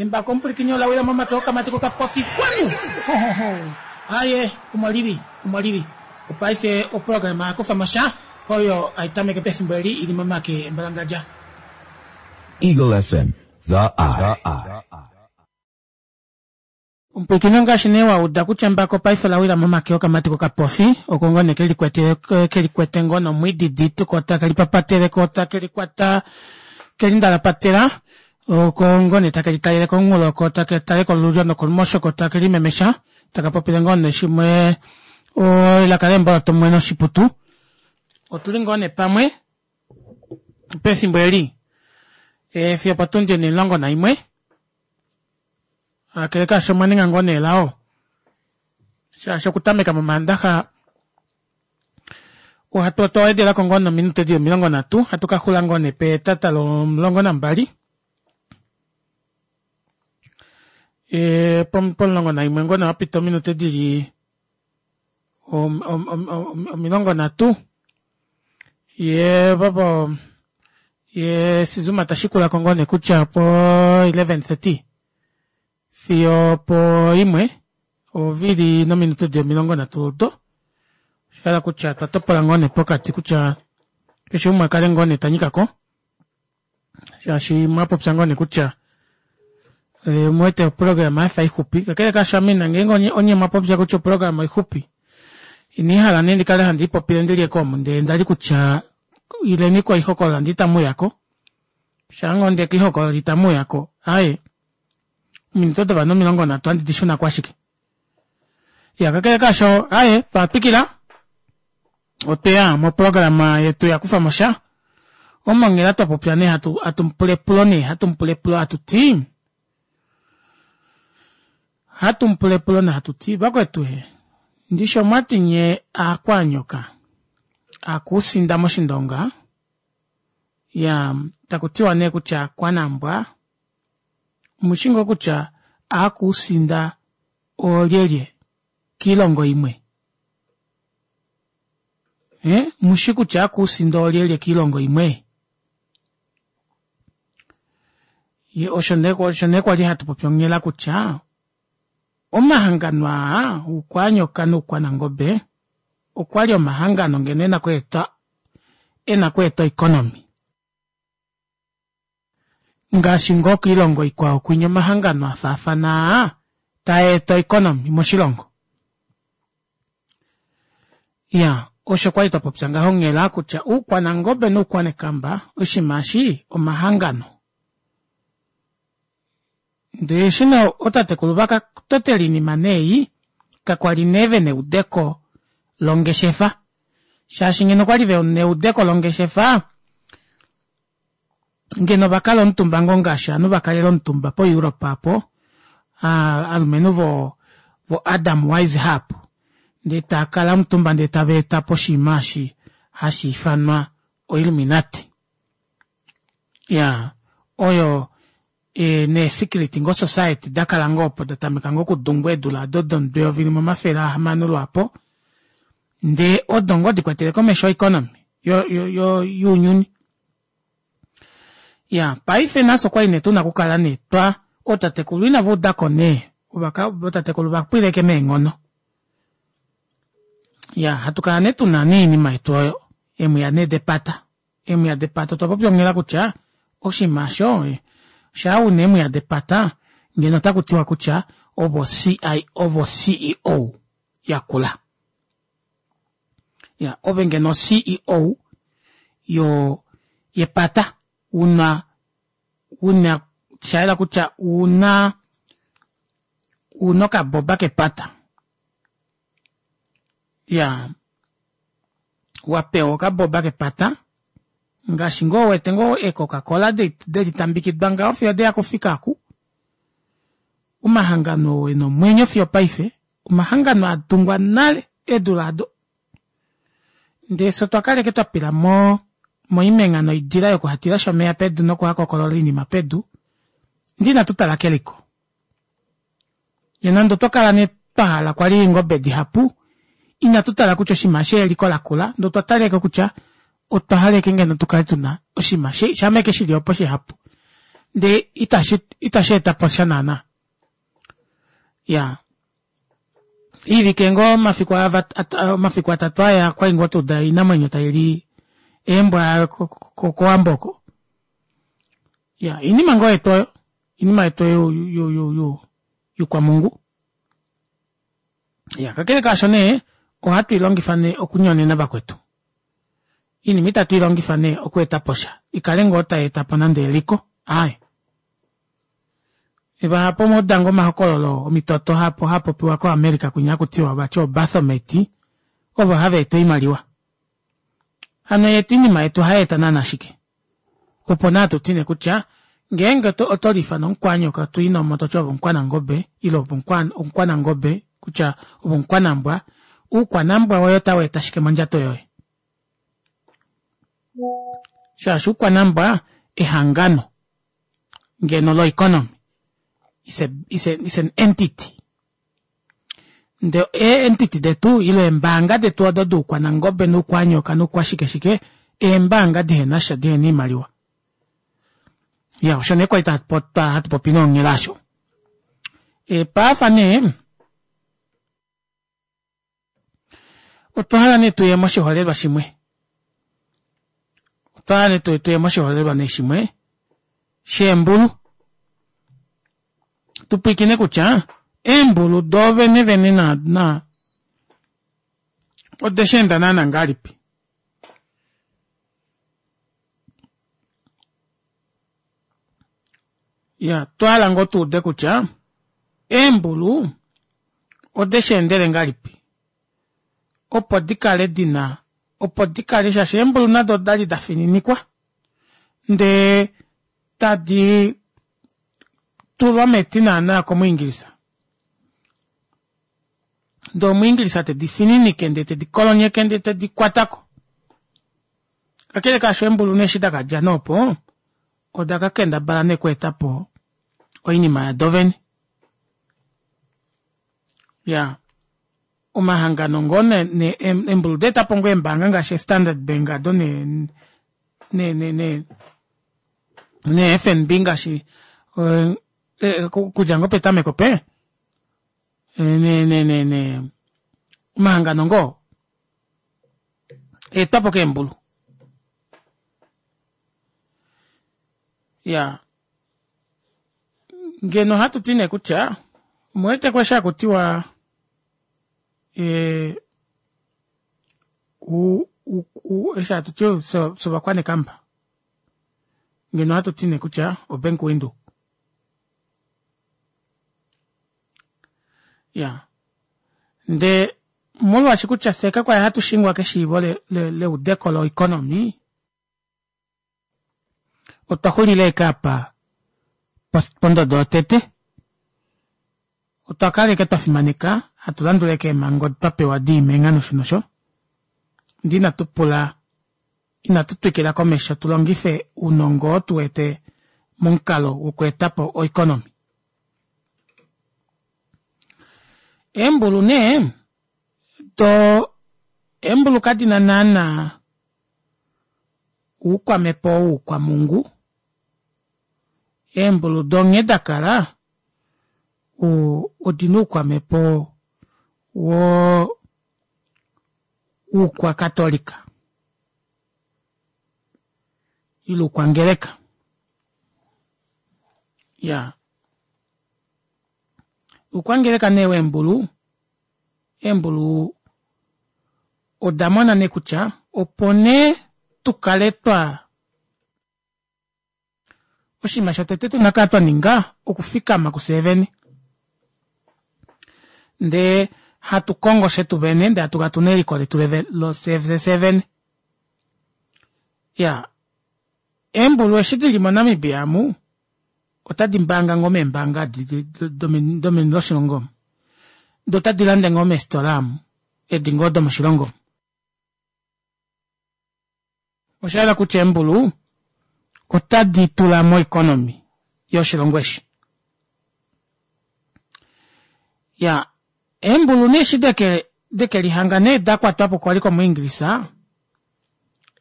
Embako omupwilikini ola wila momake okamati kokapofi xwanu! Hohoho! Aaye, omo li li, omo li li. Opaife oprograma ya kufa mo sha oyo hai tameke pefimbo eli i li momake embalangadja. Eagle FM, the eye. Omupwilikini ongaashi nee wa uda kutya embako paife ola wila momake okamati kokapofi oko ngoo nee ke likwetele ke likwete ngoo nomwiididi ko take lipapatele ko take likwata ke lindalapatela oko ngoo nee take litalele komunghulo ko take tale kolulyo nokolumosho ko take limemesha taka popile ngoo nee shimwe elaka leemboloto mumwe noshiputu. Otuli ngoo nee pamwe pefimbo eli e, fiyo potundi onimulongo naimwe Kakele kaasho omwa ninga ngoo nee elao shaashi okutameka mOmaandaxa ohatu otwa wedelako ngoo nominute di 30 hatu ka xula ngoo nee petata lomulongo nambali e, pomulongo naimwe ngoo nee wapita ominute dili 30 ye popo ye Sizuma ta shikula ko ngoo nee kutya po 11:30 fiyo po imwe ovili nominute di 30 do osha hala kutya twa topola ngoo nee pokati kutya keshe umwe a kale ngoo nee ta nyika ko shaashi mwa popya ngoo nee kutya eh, omu wete oprograma ya fa ixupi kakele kaasho ame na ngeenge onye, onye mwa popya kutya oprograma oixupi inii hala nee ndi kale handi ipopile ndi lye komu ndele nda li kutya ileni koihokolola ndi itamu uya ko shaa ngoo nde koihokolola itamu uya ko aye ominute dovanhu 30 handi di shuna ko ashike ya kakele kaasho aye twa twikila Otweya moprograma yetu ya kufa mo sha omo nghela twa popya nee hatu hatu mupula epulo nee hatu mupula epulo hatu ti hatu mupula epulo nee hatu ti vakwetu he ndishi omwati nye aakwanyoka aakuusinda moshindonga ya taku tiwa nee kutya aakwanambwa omushi ngoo kutya aakuusinda oolyelye kiilongo imwe Eh, mushi kutya akuusinda olyelye kiilongo imwe? Ye osho nee osho nee kwali hatu popi onghela kutya omahangano aa uukwanyoka nuukwanangobe okwali omahangano ngeno ena kweeta ena kweeta oeconomy. Ngaashi ngoo kiilongo ikwao kwinya omahangano a faafana aa taa eta oeconomy moshilongo. Ya, osho kwali twa popya ngaho onghela kutya uukwanangobe nuukwanekamba oshinima eshi omahangano. Ndele eshi nee ootatekulu va ka totela iinima nee ei, kakwali nee ve na eudeko longeshefa. Shaashi ngeno okwali ve na eudeko longeshefa, ngeno va kala omutumba ngoo ngaashi ovanhu va kalela omutumba poEurope apo, aalumenhu vo vo Adam Weishaupt ndee tava kala omutumba ndee tava eta po oshinima eshi hashi ifanwa oIlluminati. Ya, oyo e, neesecret ngoo society da kala ngoo opo da tameka ngoo okudungwa eedula ado domudo 1600 lwaapo, ndee odo ngoo di kwetele komesho oeconomy yo, yo, yo, younyuni. Ya, paife nafye okwali nee tuna okukala nee twa, ootatekulu inava udako nee, ovaka, ootatekulu va pwileke meenghono. Ya, hatu kala nee tuna nee oinima yetu oyo, eemwiya nee depata. Eemwiya depata otwa popya onghela kutya oshinima osho shaa una eemwiya depata ngeno otaku tiwa kutya ovo CI ovo CEO yakula. Ya, ove ngeno CEO yo yepata una una sha yela kutya una una okaboba kepata. Ya, wa pewa okaboba kepata ngaashi ngoo wete ngoo eecoca-cola de litambikidwa ngaho fiyo de ya kufika aku. Omahangano oo e na omwenyo fiyo opaife, omahangano a tungwa nale eedula ado. Ndele fye otwa kala ashike twa pila mo moimengha noidila yokuhatilasha omeya pedu nokuhakokolola oinima pedu, ndele inatu tala keliko. Ye nande otwa kala nee twa hala kwali eengobe dihapu, inatu tala kutya oshinima eshi eliko lakula, ndee otwa tala ashike kutya otwa hala ashike ngeno tu kale tuna oshinima shameke shili opo shihapu. Ndee itashi itashi eta po sha naana. Iyaa Iivike ngoo omafiku aa omafiku atatu aya kwali ngoo twa uda oinamwenyo taili eembwa kowambo oko. Iyaa oinima ngoo yetu oyo, oinima yetu oyo youkwamhungu. Iyaa kakele kaasho nee ohatu ilongifa nee okunyonena vakwetu. Oinima itatu ilongifa nee okweetaposha ikale ngoo tayeetapo nande eliko aaye. Vahapu omwauda ngoo omahokololo omitoto hapopiwa ko America kwinya hakutiwa vati oo Baphomet ovo hava eta oimaliwa. Hano yetu oinima yetu ohayeeta naana shike? Opo nee hatu ti nee kutya ngeenge oto liifana omukwanyoka to inomo toti ove omukwanangobe ile omukwanangobe kutya ove omukwanambwa, uukwanambwa woye ota weeta shike mondjato yoye? Shaashi uukwanambwa ehangano ngeno lo economy is a, is a, is an entity. Ndee ee entity detu ile eembaanga detu odo duukwanangobe noukwanyoka noukwashike shike eembaanga dihenasha dihena oimaliwa. Ya osho nee kwali hatu popi nonghela asho. Paafa nee otwa hala nee tuye moshiholelwa shimwe. Otwa hala nee tuye moshiholelwa nee shimwe sheembulu. Tupwiikine kutya eembulu doo vene vene na, na ode sheenda naana ngahelipi. Ya, otwa hala ngoo tuude kutya eembulu ode sheendele ngahelipi opo dikale dina opo dikale shaashi eembulu nado odali dafininikwa ndee tadi tulwa meti naana komuingilisa ndee omuingilisa tedi fininike ndee tedi kolonyeke ndee tedi kwatako. Kakele kaasho eembulu nee eshi dakadja nee opo oda ka kendabala nee okweetapo oinima yado vene. Ya omahangano ngoo ne, ne eembulu odaetapo ngoo eembaanga ngaashi eStandard Bank ado ne ne ne ne ne FNB ngaashi okudja ngoo petameko pe ne ne ne ne omahangano ngoo eetwapo keembulu. Ya ngeno ohatu ti nee kutya omuwete ko eshi hakutiwa e, u, u, u, eshi hatu ti sovakwanekamba ngeno ohatu ti nee kutya oBank Windhoek. Ya ndee molwaashi kutya fye kakwali hatu shingwa keshiivo leudeko loeconomy otwa xulila ashike apa pondodo yotete. Otwa kala ashike twa fimaneka hatu landula ashike eemhango twa pewa diimenga nosho nosho ndee inatu pula inatu twikila komesho tu longife ounongo oo tu wete momukalo wokweeta po oeconomy. Eembulu nee do eembulu kadina naana oukwamhepo woukwamhungu, eembulu do nghee dakala odina oukwamhepo wo oukwakatolika ile oukwangeleka. Iyaa oukwangeleka nee weembulu, eembulu oda mona nee kutya opo nee tukale twa oshinima shotete tuna okukala twa ninga okufikama kufye vene ndee hatu kongo shetu vene ndee hatu kala tuna eliko letu lofye vene. Iyaa eembulu eshi dili moNamibia amu otadi mbaanga ngoo meembaanga domeni loshilongo omu doo otadi lande ngoo meefitola amu edi ngoo domoshilongo omu. Osha yela kutya eembulu otadi tula moeconomy yoshilongo eshi. Ya eembulu nee eshi deke deke lihanga nee da kwatwa po kwali komuingilisa,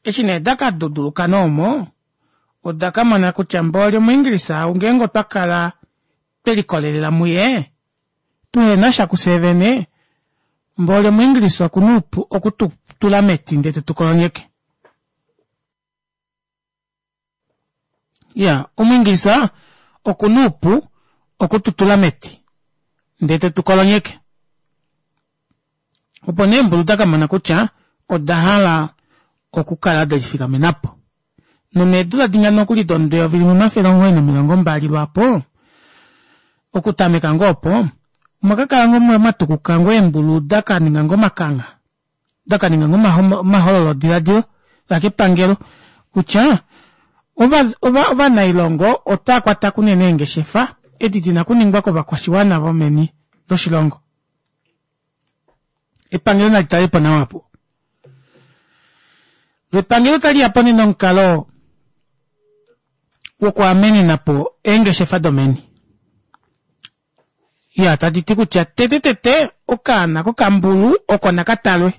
eshi nee da ka duduluka nee omo. Oda ka mona kutya mboli Omuingilisa ou ngeenge otwa kala twe likolelela muye, tuhena sha kufye vene, mboli Omuingilisa oku na oupu oku tu tula meti ndee te tu kolonyeke. Ya, Omuingilisa oku na oupu oku tu tula meti ndee te tu kolonyeke. Opo nee eembulu da ka mona kutya oda hala okukala de lifikamena po. Nomeedula dinya nokuli domudo 1920 lwaapo, okutameka ngoo opo, omwa ka kala ngoo mwa tukuka ngoo eembulu da ka ninga ngoo omakangha, da ka ninga ngoo omahololodiladilo la kepangelo kutya ovanailongo otava kwata kunene eengeshefa edi di na okuningwa kovakwashiwana vomeni loshilongo. Epangelo nali tale po nawa opo. Lo epangelo otali ya po nee nomukalo wokuamenena po eengeshefa domeni. Ya tadi ti kutya tete tete okaana kokambulu oko naka talwe.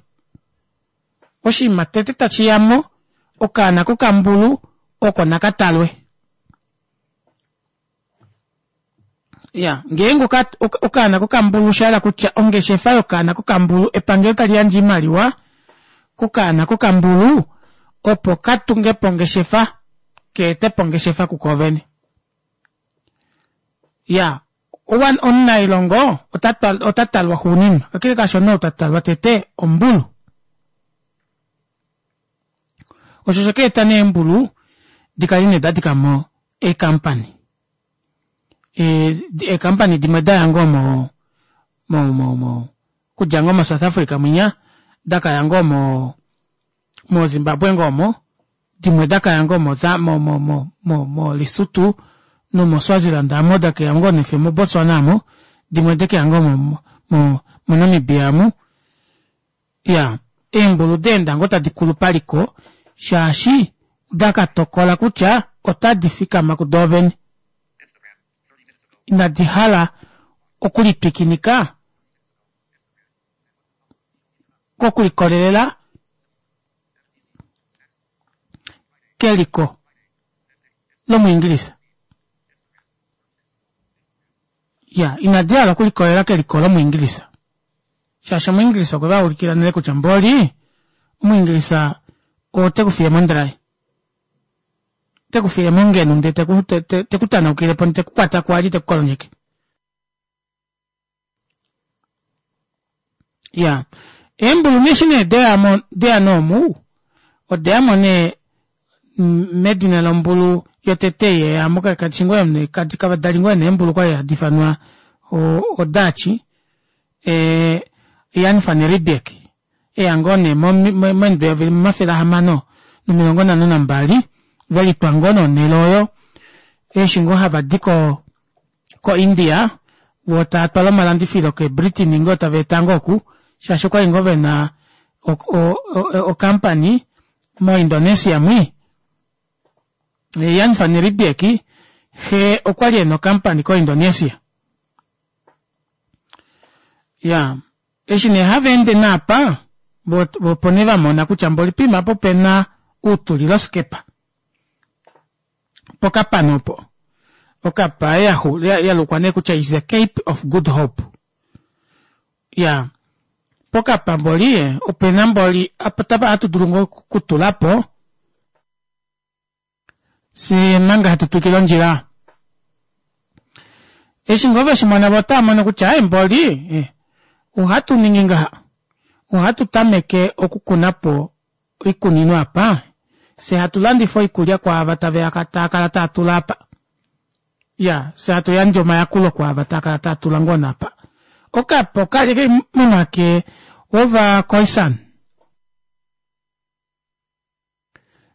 Oshinima tete tashi ya mo okaana kokambulu oko naka talwe. Ya, ngeenge okaana kokambulu osha hala kutya ongeshefa yokaana kokambulu epangelo tali yandje oimaliwa kokaana kokambulu opo ka tunge po ongeshefa ka ete po ongeshefa kuko vene. Ya, omunailongo ota talwa xuuninwa, kakele kaasho nee ou ta talwa tete ombulu. Osho osha ka eta nee eembulu di kale nee da dika mo eekampani. Eekampani dimwe da ya ngoo mo mo mo mo okudja ngoo moSouth Africa mwinya da ka ya ngoo mo moZimbabwe ngoo omo, dimwe da ka ya ngoo mo mo mo mo mo moLesotho nomoSwaziland amo da keya ngoo nefiyo moBotswana amo, dimwe de keya ngoo mo mo moNamibia amu. Iya, eembulu da enda ngoo tadi kulu paliko shaashi da ka tokola kutya otadi fikama kudoovene. Inadi hala okulitwikinika kokulikolelela keliko lOmuingilisa. Ya, inadi hala okulikolelela keliko lOmuingilisa. Shaashi Omuingilisa okwe va ulikila nale kutya mboli Omuingilisa ote ku fiye mondrai. Te ku fiye mongenu ndee te ku, te, te, te ku tanaukile po, te ku kwata kwali te ku kolonyeke. Ya, eembulu nee eshi nee deya mo, deya nee omu, odeya mo nee medina lombulu yotete yeya mo kadi ngoo nee kadi kava dali ngoo nee eembulu kwali hadi ifanwa oDutch, e, Jan van Riebeeck eya ngoo nee momido 1652 ve litwa ngoo nee onhele oyo eshi ngoo hava di ko koIndia voo tava twala omalandifilo keBritain ngoo tava eta ngoo oku shaashi okwali ngoo vena ocompany moIndonesia mwi. Jan van Riebeeck xe okwali ena ocompany koIndonesia. Ya, eshi nee hava ende naapa vo opo nee va mona kutya mboli poima apa opena uutuliloskepa. Pokapana opo. Okapa ya lukwa nee kutya is a Cape of Good Hope. Ya, pokapa mboli opena mboli apa hatu dulu ngoo okutula po Fye manga hatu twikile ondjila. Eshi ngoo ve shi mona vo otava mono kutya ai mboli eh, ohatu ningi ngaha. Ohatu tameke okukuna po oikunino apa, fye hatu landifa oikulya kwaava tave ya taa kala taa tula apa. Ya, fye hatu yandje omayakulo kwaava taa kala taa tula ngoo naapa. Okapa okali ke momake ovaKhoisan.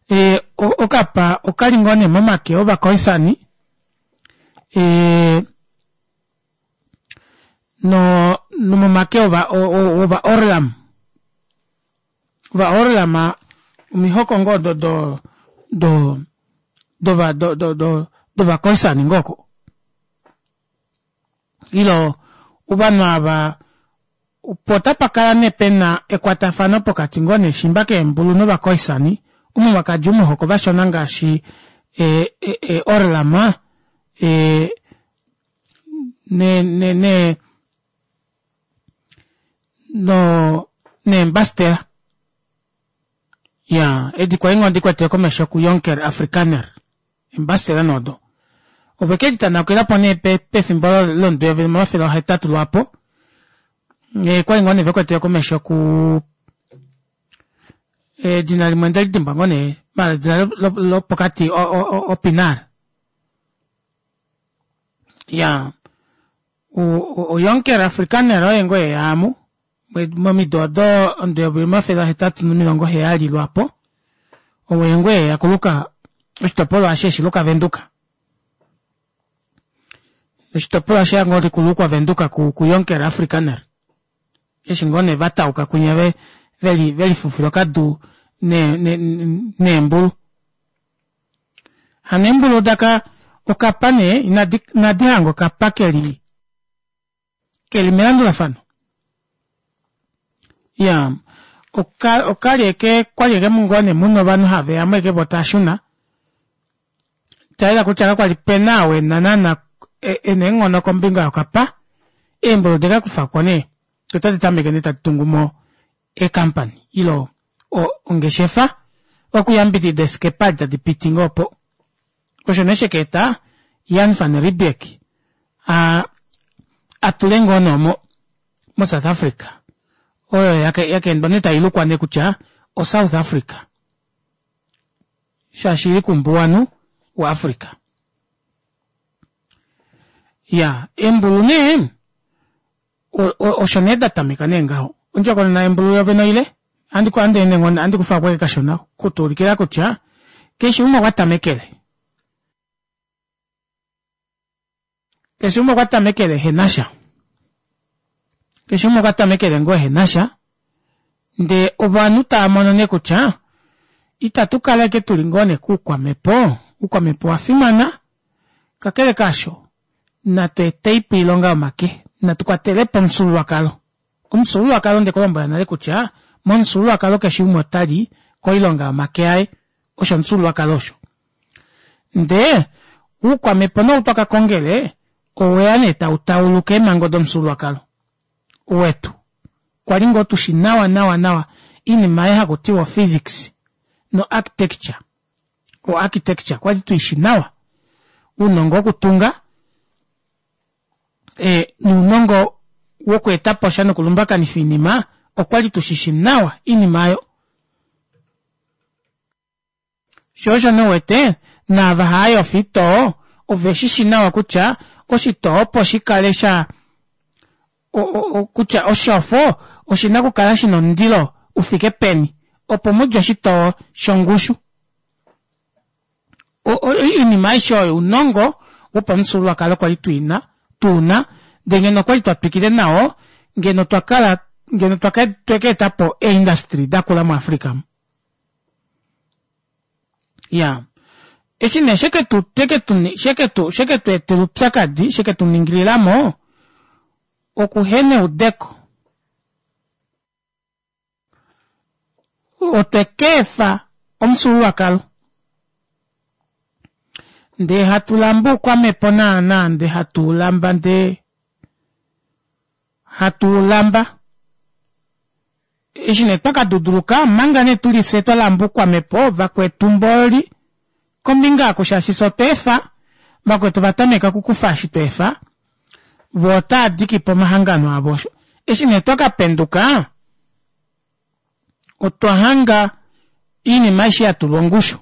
E, okapa okali ngoo nee momake ovaKhoisani e, no nomomake ova ova Orlam ova Orlam omihoko ngoo do do do dova do do do dovaKhoisani ngoo oko ilo ovanhu ava Opo otapa kala nee pe na ekwatafano pokati ngoo nee shimba keembulu novaKhoisani, omo mwa kadja omuhoko vashona ngaashi E, e, e Orlam e, ne, ne, ne, no, neembastela. Ya, edi kwali ngoo dikwetele komesho ku Jonker Afrikaner. Eembastela nodo. Ove ke litanaukila po nee pefimbo lomudo eyovi limwe omafele ahetatu lwaapo. E, kwali ngoo nee vekwetele komesho ku edina limwe nde lidimbwa ngoo nee mala edina lopokati oPinar. Ya, oJonker Afrikaner oye ngoo eya amu momido odo omudo 1870 lwaapo oye ngoo eya kuluka oshitopolwa eshi eshi luka Venduka. Oshitopolwa eshi ngoo likulukwa Venduka ku, ku Jonker Afrikaner. Eshi ngoo nee va tauka kwinya ve, veli, velifufila okadu ne, ne, neembulu. Hano eembulu daka okapa nee inadi, inadi hanga okapa keli keli melandulafano. Ya, oka, okali eke, kwali eke mungoo nee muna ovanhu have ya mo eke vo taa shuna. Tayela kutya kakwali pena ou ena naana ena eenghono kombinga yokapa. Eembulu deka kufako nee, otadi tameke nee tadi tungu mo eekampani ilo ongeshefa okuyambidida esikepa edi tadi piti ngoo opo. Osho nee sheka eta Jan van Riebeeck a a tule ngoo nee omo moSouth Africa oyo yaka endwa nee tai lukwa nee kutya oSouth Africa shaashi ili kuumbuwanhu waAfrica. Ya embulu nee osho nee da tameka nee ngaho. Ondjokonona yembulu yovene oile, ohandi ku andi ende ngoo ohandi kufa ko kashona kutuulikila kutya keshe umwe okwa tamekele. Keshe umwe okwa tamekele ehe na sha. Keshe umwe okwa tamekele ngoo ehe na sha. Ndee ovanhu tava mono nee kutya itatu kala ashike tuli ngoo nee kuukwamhepo, oukwamhepo owa fimana, kakele kaasho natu eteipo oilonga yomake, natu kwatelepo omufyuululwakalo. Omufyuululwakalo onde ku lombwela nale kutya momufyuululwakalo keshe umwe ota li koilonga yomake aye, osho omufyuululwakalo osho. Ndee oukwamhepo nee ou twaka kongele oweya nee tau tauluka eemhango domufyuululwakalo wetu. Kwali ngoo tushi nawa nawa nawa oinima ei haku tiwa ophysics no architecture. O architecture kwali tuishi nawa. Uunongo wokutunga e, nuunongo wokweeta po sha nokulumbakanifa iinima okwali tushishi nawa iinima oyo. Sho osho nee uwete naava hava yofa oitoo ove shi shi nawa kutya oshitoo opo shi kale sha kutya oshofo oshi na okukala shi na omundilo u fike peni opo mu dje oshitoo shongushu. Oinima aishe oyo ounongo wopamufyuululwakalo kwali tuina tuuna ndee ngeno okwali twa twikile nao ngeno otwa kala ngeno twaka eta po eeindustry dakula muAfrica omu. Ya eshi nee sheketu sheketu sheketu etela oupyakadi sheketu ningililamo okuhena eudeko. Otwe ka efa omufyuululwakalo ndee hatu lamba oukwamhepo naana ndee hatu u lamba ndee hatu u lamba. Eshi nee twa ka duduluka omanga nee tuli fye twa lamba oukwamhepo vakwetu mboli kombinga oku shaashi fye otwa efa vakwetu ova tameka okukufa eshi twa efa vo otaa diki po omahangano avo osho. Eshi nee twa ka penduka otwa hanga iinima aishe ya tulwa ongushu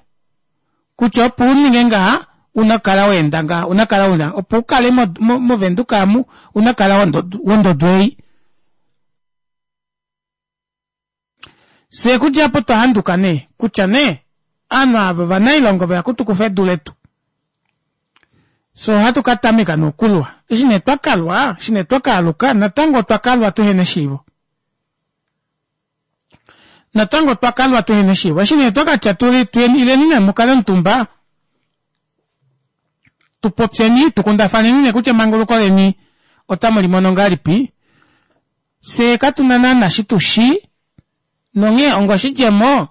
kutya opo u ninge ngaha una kukala wa enda ngaha una kukala una opo u kale movenduka amu una kukala wondodo ei. Fye okudja apo otwa handuka nee kutya nee ovanhu ava ovanailongo veya okutukufa edu letu. Fye ohatu ka tameka nee okulwa. Eshi nee twa kalwa, eshi nee twa ka aluka natango otwa kalwa tuhena eshiivo. Natango otwa kalwa tuhena eshiivo. Eshi nee twa ka tya tuli tuyeni ileni nee mukale omutumba tu popyeni tu kundafaneni nee kutya emanguluko leni otamu li mono ngahelipi. Fye katu na naana shi tu shii, nonghee ongoshidjemo,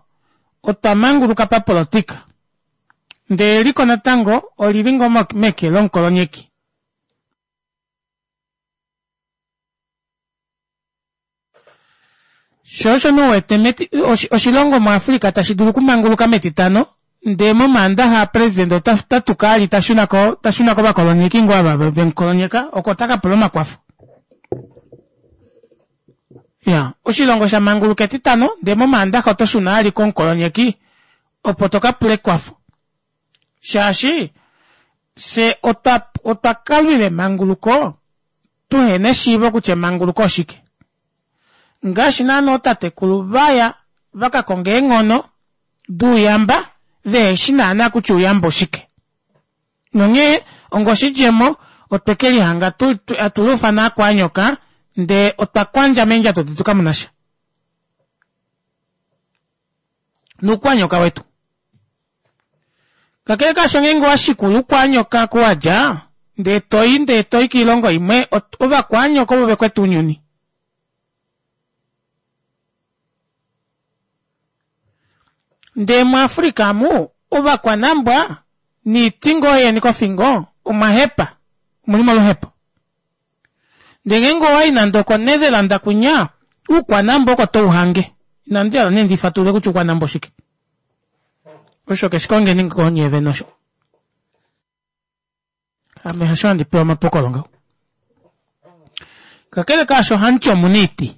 otwa manguluka papolotika. Ndee eliko natango olili ngoo meke lomukolonyeki. Sho osho nee uwete meti, oshilongo muAfrica tashi dulu okumanguluka metitano ndee momaandaxa president ota tatuka ali ta shuna ko ta shuna kovakolonyeki ngoo ava vemukolonyeka oko ta ka pula omakwafo. Ya, oshilongo sha manguluka etitano ndee momaandaxa oto shuna ali komukolonyeki opo to ka pula ekwafo. Shaashi fye otwa otwa kalwila emanguluko tuhena eshiivo kutya emanguluko oshike. Ngaashi naana ootatekulu vaya va ka konga eenghono douyamba veheshi naana kutya ouyamba oshike. Nonghee onga oshidjemo otwe ke lihanga hatu luufana aakwaanyoka ndee otwa kwandja meendjato detu kamu na sha. Nuukwanyoka wetu. Kakele kaasho ngeenge owa shikula uukwanyoka ku wa dja ndee toi ndee toi kiilongo imwe ovakwanyoka ovo vekwete ounyuni. Ndee muAfrica amu ovakwanambwa niiti ngoo yeni kofingo omwa hepa, omuli moluhepo. Ndee ngeenge owayi nande okoNetherland kwinya uukwanambwa oko tou hange. Inandi hala nee ndi fatulule kutya uukwanambwa oshike. Osho keshi kongeni ngoo nyee vene osho. Ame hasho handi pewa omapokolo ngaho. Kakele kaasho hamuti omuna iiti.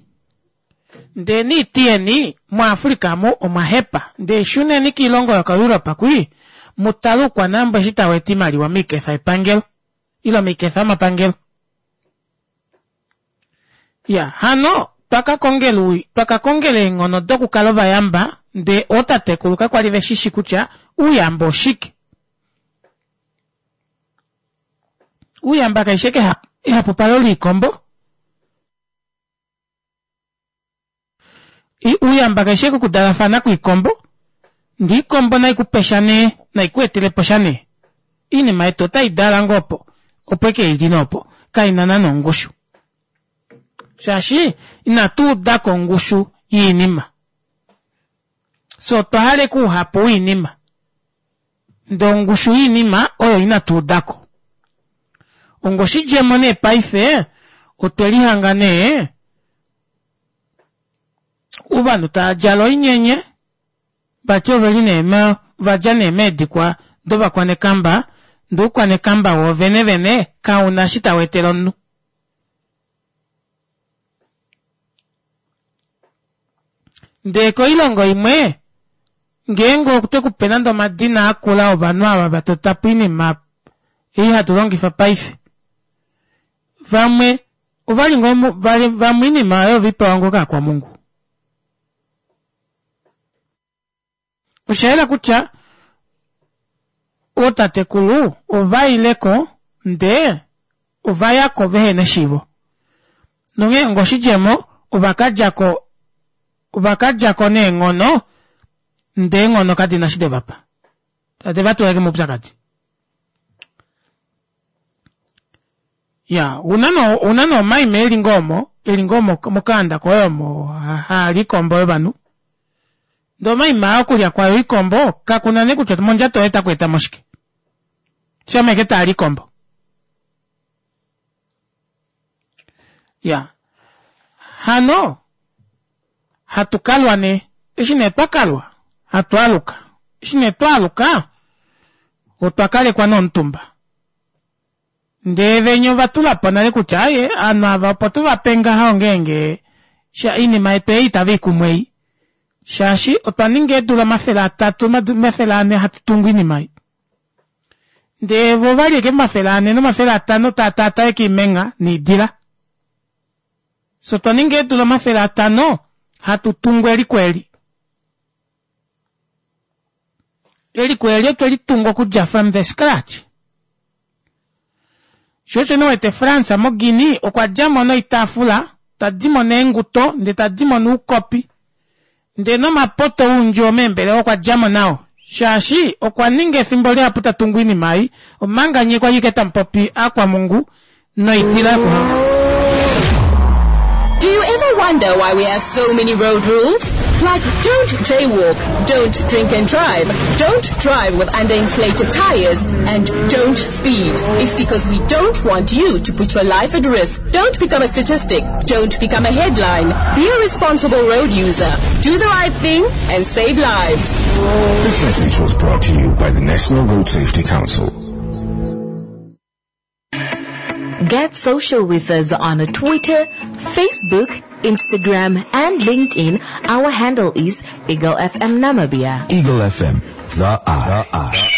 Ndee niiti yeni muAfrica amu omwa hepa. Ndee shuneni kiilongo yokoEuropa kwii mu tale uukwanambwa eshi tau eta iimaliwa miikefa yepangelo ile miikefa yomapangelo. Ya hano twaka kongela twaka kongela eenghono dokukala ovayamba ndee ootatekulu kakwali veshishi kutya uuyamba oshike. Uuyamba kaishi eke ehapupalo liikombo. Uuyamba kaishi eke okudalafana kwiikombo. Ndee iikombo nai kupe sha nee, nai ku etele po sha nee. Iinima yetu otai dala ngoo opo, opo eke ili nee opo, kaina naana ongushu. Shaashi inatu uda ko ongushu yiinima. Fye otwa hala eke ouhapu woinima. Ndee ongushu yiinima oyo inatu uda ko. Onga oshidjemo nee paife otwe lihanga nee ovanhu tava djala oinyenye vati oveli nee ova dja nee meedikwa dovakwanekamba ndee oukwanekamba woovene vene kauna eshi tau etele omunhu. Ndee koilongo imwe ngeenge otwe kupe nande omadina akula ovanhu ava va tota po oinima ei hatu longifa paife vamwe ovali ngoo vamwe oinima oyo oveipewa ngoo kaakwamungu. Osha yela kutya ootatekulu ova ile ko ndee ova ya ko vehe na eshiivo. Nonghee onga oshidjemo ova ka dja ko ova ka dja ko neenghono ndee eenghono kadi na eshi de va pa. Tade va tula ashike moupyakadi. Ya, ouna nee ouna nee omaima eli ngoo omo, eli ngoo mokaanda koye omo haali ikombo yovanhu. Ndee omaima aa okulya kwayo oikombo kakuna nee kutya mondjato yoye otaku eta mo shike. Shama ashike taali ikombo. Ya. Hano hatu kalwa nee. Eshi nee twa kalwa hatu aluka. Eshi nee twa aluka otwa kalekwa nee omutumba. Ndee venya ova tula po nale kutya aaye ovanhu ava opo tu va pe ngaha ongeenge sha oinima yetu ei itave i kumwe ei shaashi otwa ninga eedula 300 400 hatu tungu oinima ei. Ndee vo ovali ashike 400 no500 taa taataa ashike oimengha noidila. Fye otwa ninga eedula 500 hatu tungu eliko eli. Eliko eli otwe li tunga okudja from the scratch. Sho osho nee wete France moGuinea okwa dja mo noitaafula, ta di mo neenguto, ndee ta di mo nuukopi, ndee nomapoto oundjuwo meembelewa okwa dja mo nao shaashi okwa ninga efimbo lihapu ta tungu oinima ei omanga nye kwali ashike tamu popi aakwamungu noidila yokuhanga. Do you ever wonder why we have so many road rules? Like don't jaywalk, don't drink and drive, don't drive with underinflated tires, and don't speed. It's because we don't want you to put your life at risk. Don't become a statistic. Don't become a headline. Be a responsible road user. Do the right thing and save lives. This message was brought to you by the National Road Safety Council. Get social with us on Twitter, Facebook, Instagram, and LinkedIn. Our handle is Eagle FM Namibia. Eagle FM, the eye.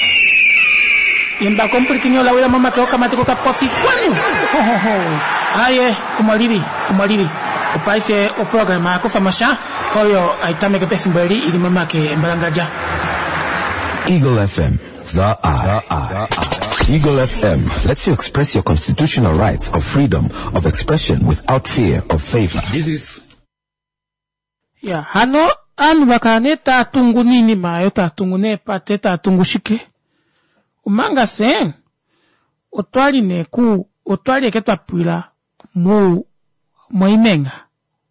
Imba kompulikinyo lawila momake okamati kokapofi kwanu Ho, ho, ho. aye omolili omolili opaife oprograma yakufa mosha oyo aitameke pefimbo eli ili momake embalangadja Eagle FM, the eye. Eagle FM lets you express your constitutional rights of freedom of expression without fear of favor. This is ya hano aanhu vakala nee taa tungu niinima ayo taa tungu neepate taa tungu shike omanga se otwali nee ku otwali eke twa pwila mu moimenga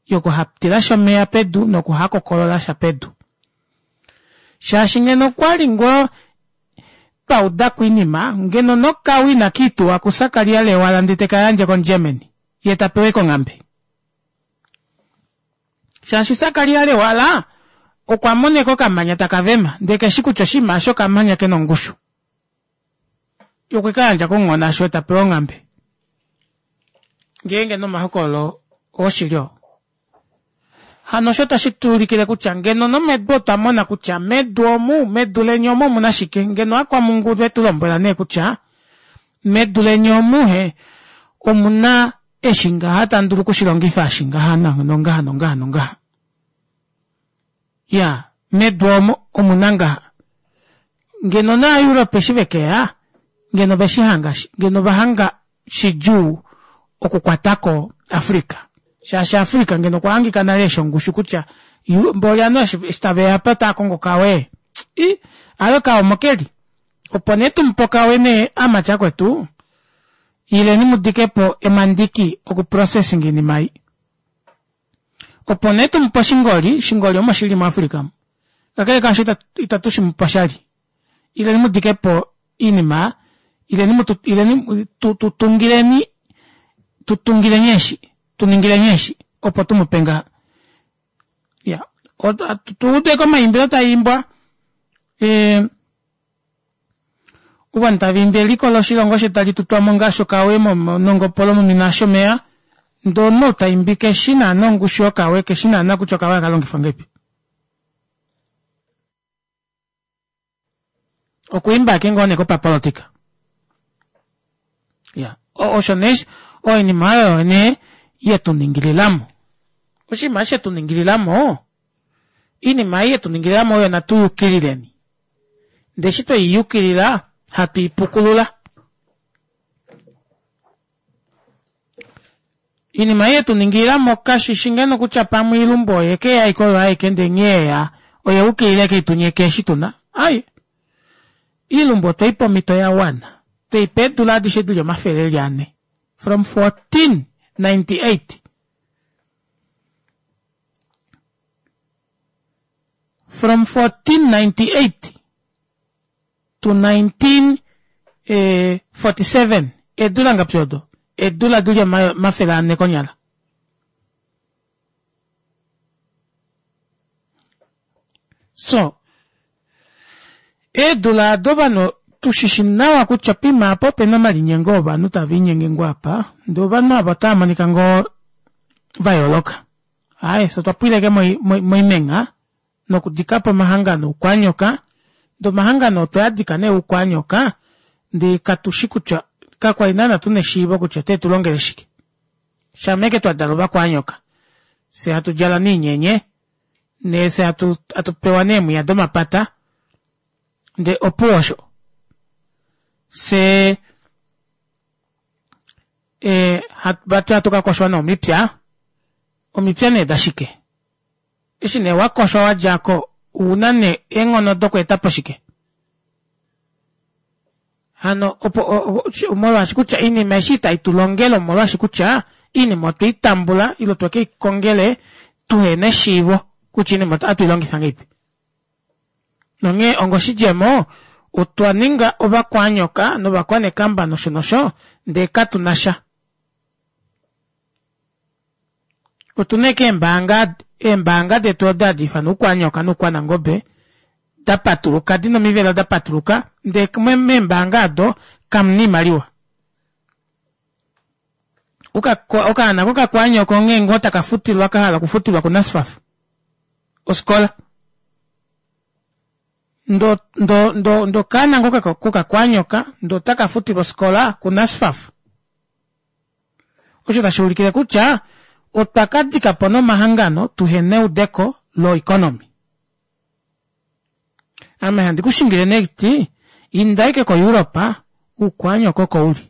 yokuhatilasha omeya pedu nokuhakokololasha pedu shaashi ngeno okwali ngoo twa udako oinima ngeno nokawi inakiituwa kusakaria lewala ndee tekayandje kogermany ye tapewa eke onghambe shaashi sakaria lewala okwa moneka okamanya taka vema ndee keshi kutya oshinima osho okamanya kena ongushu ye okwekayandja konghona asho tapewa onghambe ngeenge nomahokololo oshili oo hano osho tashi tuulikile kutya ngeno nomedu otwa mona kutya medu omu medu leni omu omuna shike ngeno akwamungu vetu lombwela nee kutya medu leni omu he omuna eshi ngaha tandulu okushilongifa eshi ngaha nongaha nongaha nongaha ya medu omo omuna ngaha ngeno naa Europe eshi vekeya ngeno veshihanga ngeno vahanga shidjuu okukwatako Africa shaashi Africa ngeno okwa hangika nale eshongushu kutya mboli ovanhu eshi taveya apa otava kongo okawe i aaye okawe omokeli opo nee tumupe okawe nee amati akwetu ileni mudikepo emandiki oku processing oinima ei opo nee tumupe oshingoli oshingoli omo shili mu Africa omu kakele kaasho itatu shimupe oshali ileni mudikepo oinima ileni mutu ileni tutungileni tutungileni eshi tuningileni eshi opo tumupe ngaha ya tuudeko omaimbilo taimbwa e, ovanhu tava imbi eliko loshilongo shetu tali tutwamo ngaashi okawe nongopolo momina shomeya ndee omunhu taimbi keshi naana ongushu yokawe keshi naana kutya okawe akalongifwa ngahelipi okwiimba ake ngoo nee kopapolitika ya osho nee oinima oyo nee yetuningililamo oshinima eshi shetuningililamo iinima ei yetuningililamo oyo natu yukilileni ndee eshi tweiyukilila hatu ipukulula Iinima ei yetuningililamo kashishi ngeno kutya pamwe oilumbu oye keya ashike oyo aike ndee nghee yeya oye ukilila ashike itunyeke eshi tuna ai iilumbu otweipa omhito yawana tweipa eedula adishe dili omafele eli ane from 1498 from 1498 to 1947 eedula ngapi odo eedula dili 400 konyala so eedula ado ovanhu tushishi nawa kutya pima apa opena omalinyengo ovanhu tava inyenge ngoo apa ndee ovanhu ava otava monika ngoo vayooloka aaye fye otwa pwileke moimenga nokudikapo omahangano oukwanyoka ndee omahangano otwe adika nee oukwanyoka ndee katushi kutya kakwali naana tuna eshiivo kutya ote tulongele shike shama eke twadalwa ovakwanyoka fye hatu djala neenyenye nee fye hatu pewa neemwiya domapata ndee opuwo osho fye e, vati hatu kakoshwa nee omipya nee dashike Eshi nee wa koshwa wa dja ko, ou na nee eenghono dokweeta po shike? Hano opo molwaashi kutya oinima eshi itai tu longele omolwaashi kutya oinima otwe i tambula ile otwe ke i kongele tuhena eshiivo. Kutya oinima ohatu i longifa ngahelipi. Nonghee ongoshidjemo, otwa ninga ovakwanyoka novakwanekamba nosho nosho, ndee katu na sha. Otu na ashike eembaanga, eembaanga detu odo hadi ifanwa oukwanyoka noukwanangobe, da patuluka, di na omivelo da patuluka, ndee meembaanga odo kamu na oimaliwa. Okaana kokakwanyoko onghee ngoo taka futilwa ka hala okufutilwa kuNASFAF ofikola. Ndo ndo ndo ndo okaana ngoo kokakwanyoka ndo otaka futilwa ofikola kuNASFAF. Osho tashi ulikile kutya otwa ka dika po nomahangano tuhena eudeko loeconomy. Ame handi ku shingile nee ti inda ashike koEurope uukwanyoko oko uli.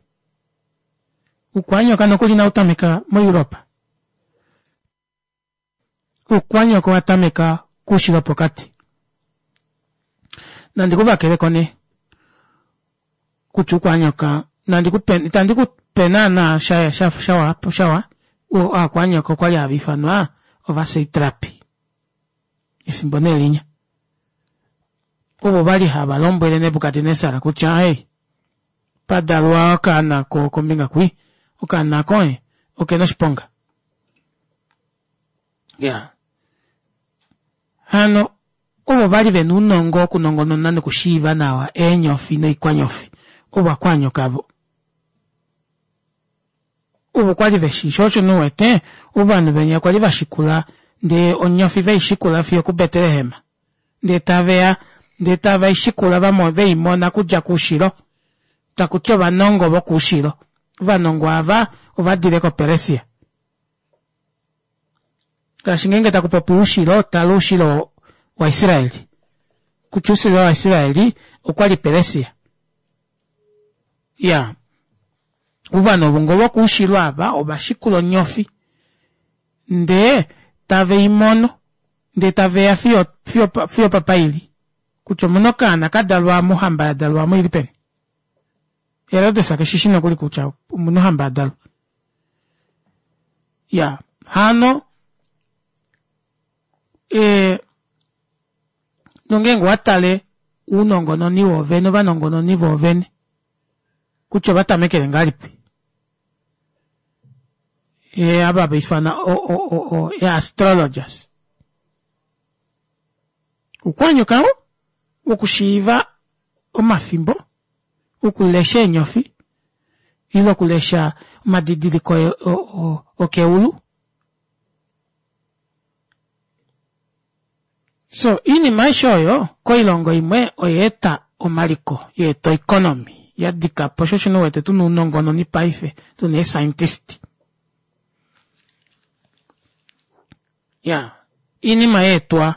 Uukwanyoka nokuli inau tameka moEurope. Uukwanyoka owa tameka koushilo wopokati. Nandi ku vakeleko nee kutya uukwanyoka nandi ku pe itandi ku pe naana sha sha shawa shawa aakwanyoka okwali hava ifanwa ovaseitrapi efimbo nee linya ovo vali hava lombwele Nebukadnesar kutya hey padalwa okaana ko kombinga kwi okaana koye okena oshiponga ya hano ovo vali vena ounongo wokunongonona nokushiiva nawa eenyofi noikwanyofi ovakwanyoka vo ovo kwali veshi sho osho nuwete ovanhu venya kwali vashikula ndee onyofi veishikula fiyo kuBetlehem ndee taveya ndee tave ishikula vamo veimona kudja koushilo takuti ovanongo vokoushilo ovanongo ava ovadile koPeresia ngaashi ngeenge taku popi oushilo tala oushilo waIsraeli kutya oushilo waIsraeli okwali Peresia ya ovanhu ovo ngo vokoushilo ava ovashikula onyofi ndee tave i mono ndee tave ya fiyo fiyo fiyo papa ili kutya omuna okaana ka dalwa mohamba ya dalwa mo ili peni Herodes ke shi shi nokuli kutya omuna ohamba ya dalwa ya hano e nongeenge owa tale uunongononi woovene ovanongononi voovene kutya ova tamekele ngahelipi e ava va ifana o o o o e astrologers ukwanyuka wokushiiva omafimbo okulesha eenyofi ile okulesha omadidiliko okeulu So iinima aishe oyo koilongo imwe oya eta omaliko, ya eta oeconomy ya dika po, sho osho nee u wete tuna ounongononi paife, tuna eescientist. Ya, iinima ya etwa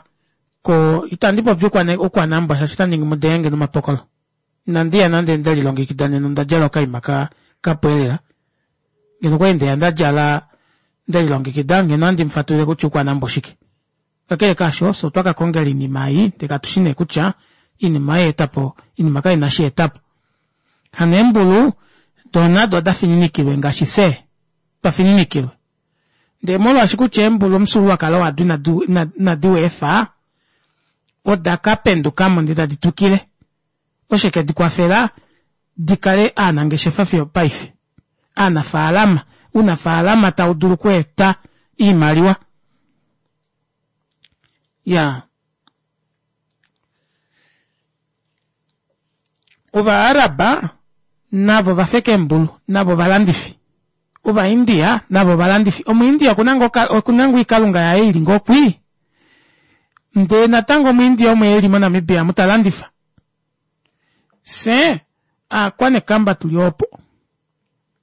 ko, itandi popi oukwanambwa shaashi ota ningi mu denge nomapokolo. Inandi ya nande nde lilongekida nena onda djala okaima ka kapwa elela. Ngeno okwali ndeya nda djala nde lilongekida ngeno ohandi mu fatulile kutya oukwanambwa oshike. Kakele kaasho, fye otwa ka kongela oinima ei, ndele katu shi nee kutya oinima oya eta po, oinima kai na eshi ya eta po. Hano eembulu do nado oda fininikilwe ngaashi fye twa fininikilwe. Ndele molwaashi kutya eembulu omufyuululwakalo wado inadi u efa, oda ka penduka mo ndele tadi twikile. Oshe ke di kwafela di kale aanangeshefa fiyo opaife. Aanafaalama, uunafaalama tau dulu okweeta iimaliwa. Ya. Ovaaraba navo va feka eembulu, navo ovalandifi. Ovaindia navo ovalandifi. Omuindia oku na ngoo oku na ngoo oikalunga yaye i li ngoo kwii, ndee natango Omuindia omo e li moNamibia omu ta landifa. Fye aakwanekamba tu li opo.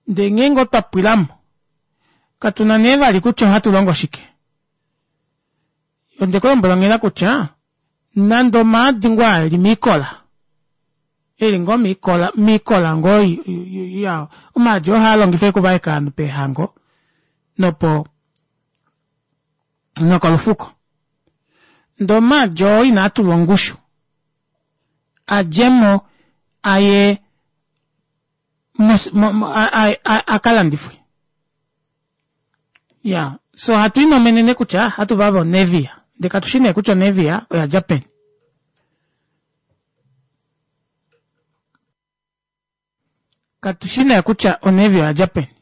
Ndee ngeenge otwa pwila mo, katu na nee vali kutya ohatu longo shike. Onde ku lombwela onghela kutya nande omaadi ngoo aa e li miikola, e li ngoo miikola, miikola ngoo ya, omaadi oo haa longifwa okuvaeka ovanhu peehango nopo nokolufuko. Ndee omaadi oo inaa tulwa ongushu, a dje mo a ye a ka landifwe. Ya, so hatu inomenene kutya hatu vava onevia. Ndee katu shi nee kutya onevia oya dja peni. Katu shi nee kutya onevia oya dja peni.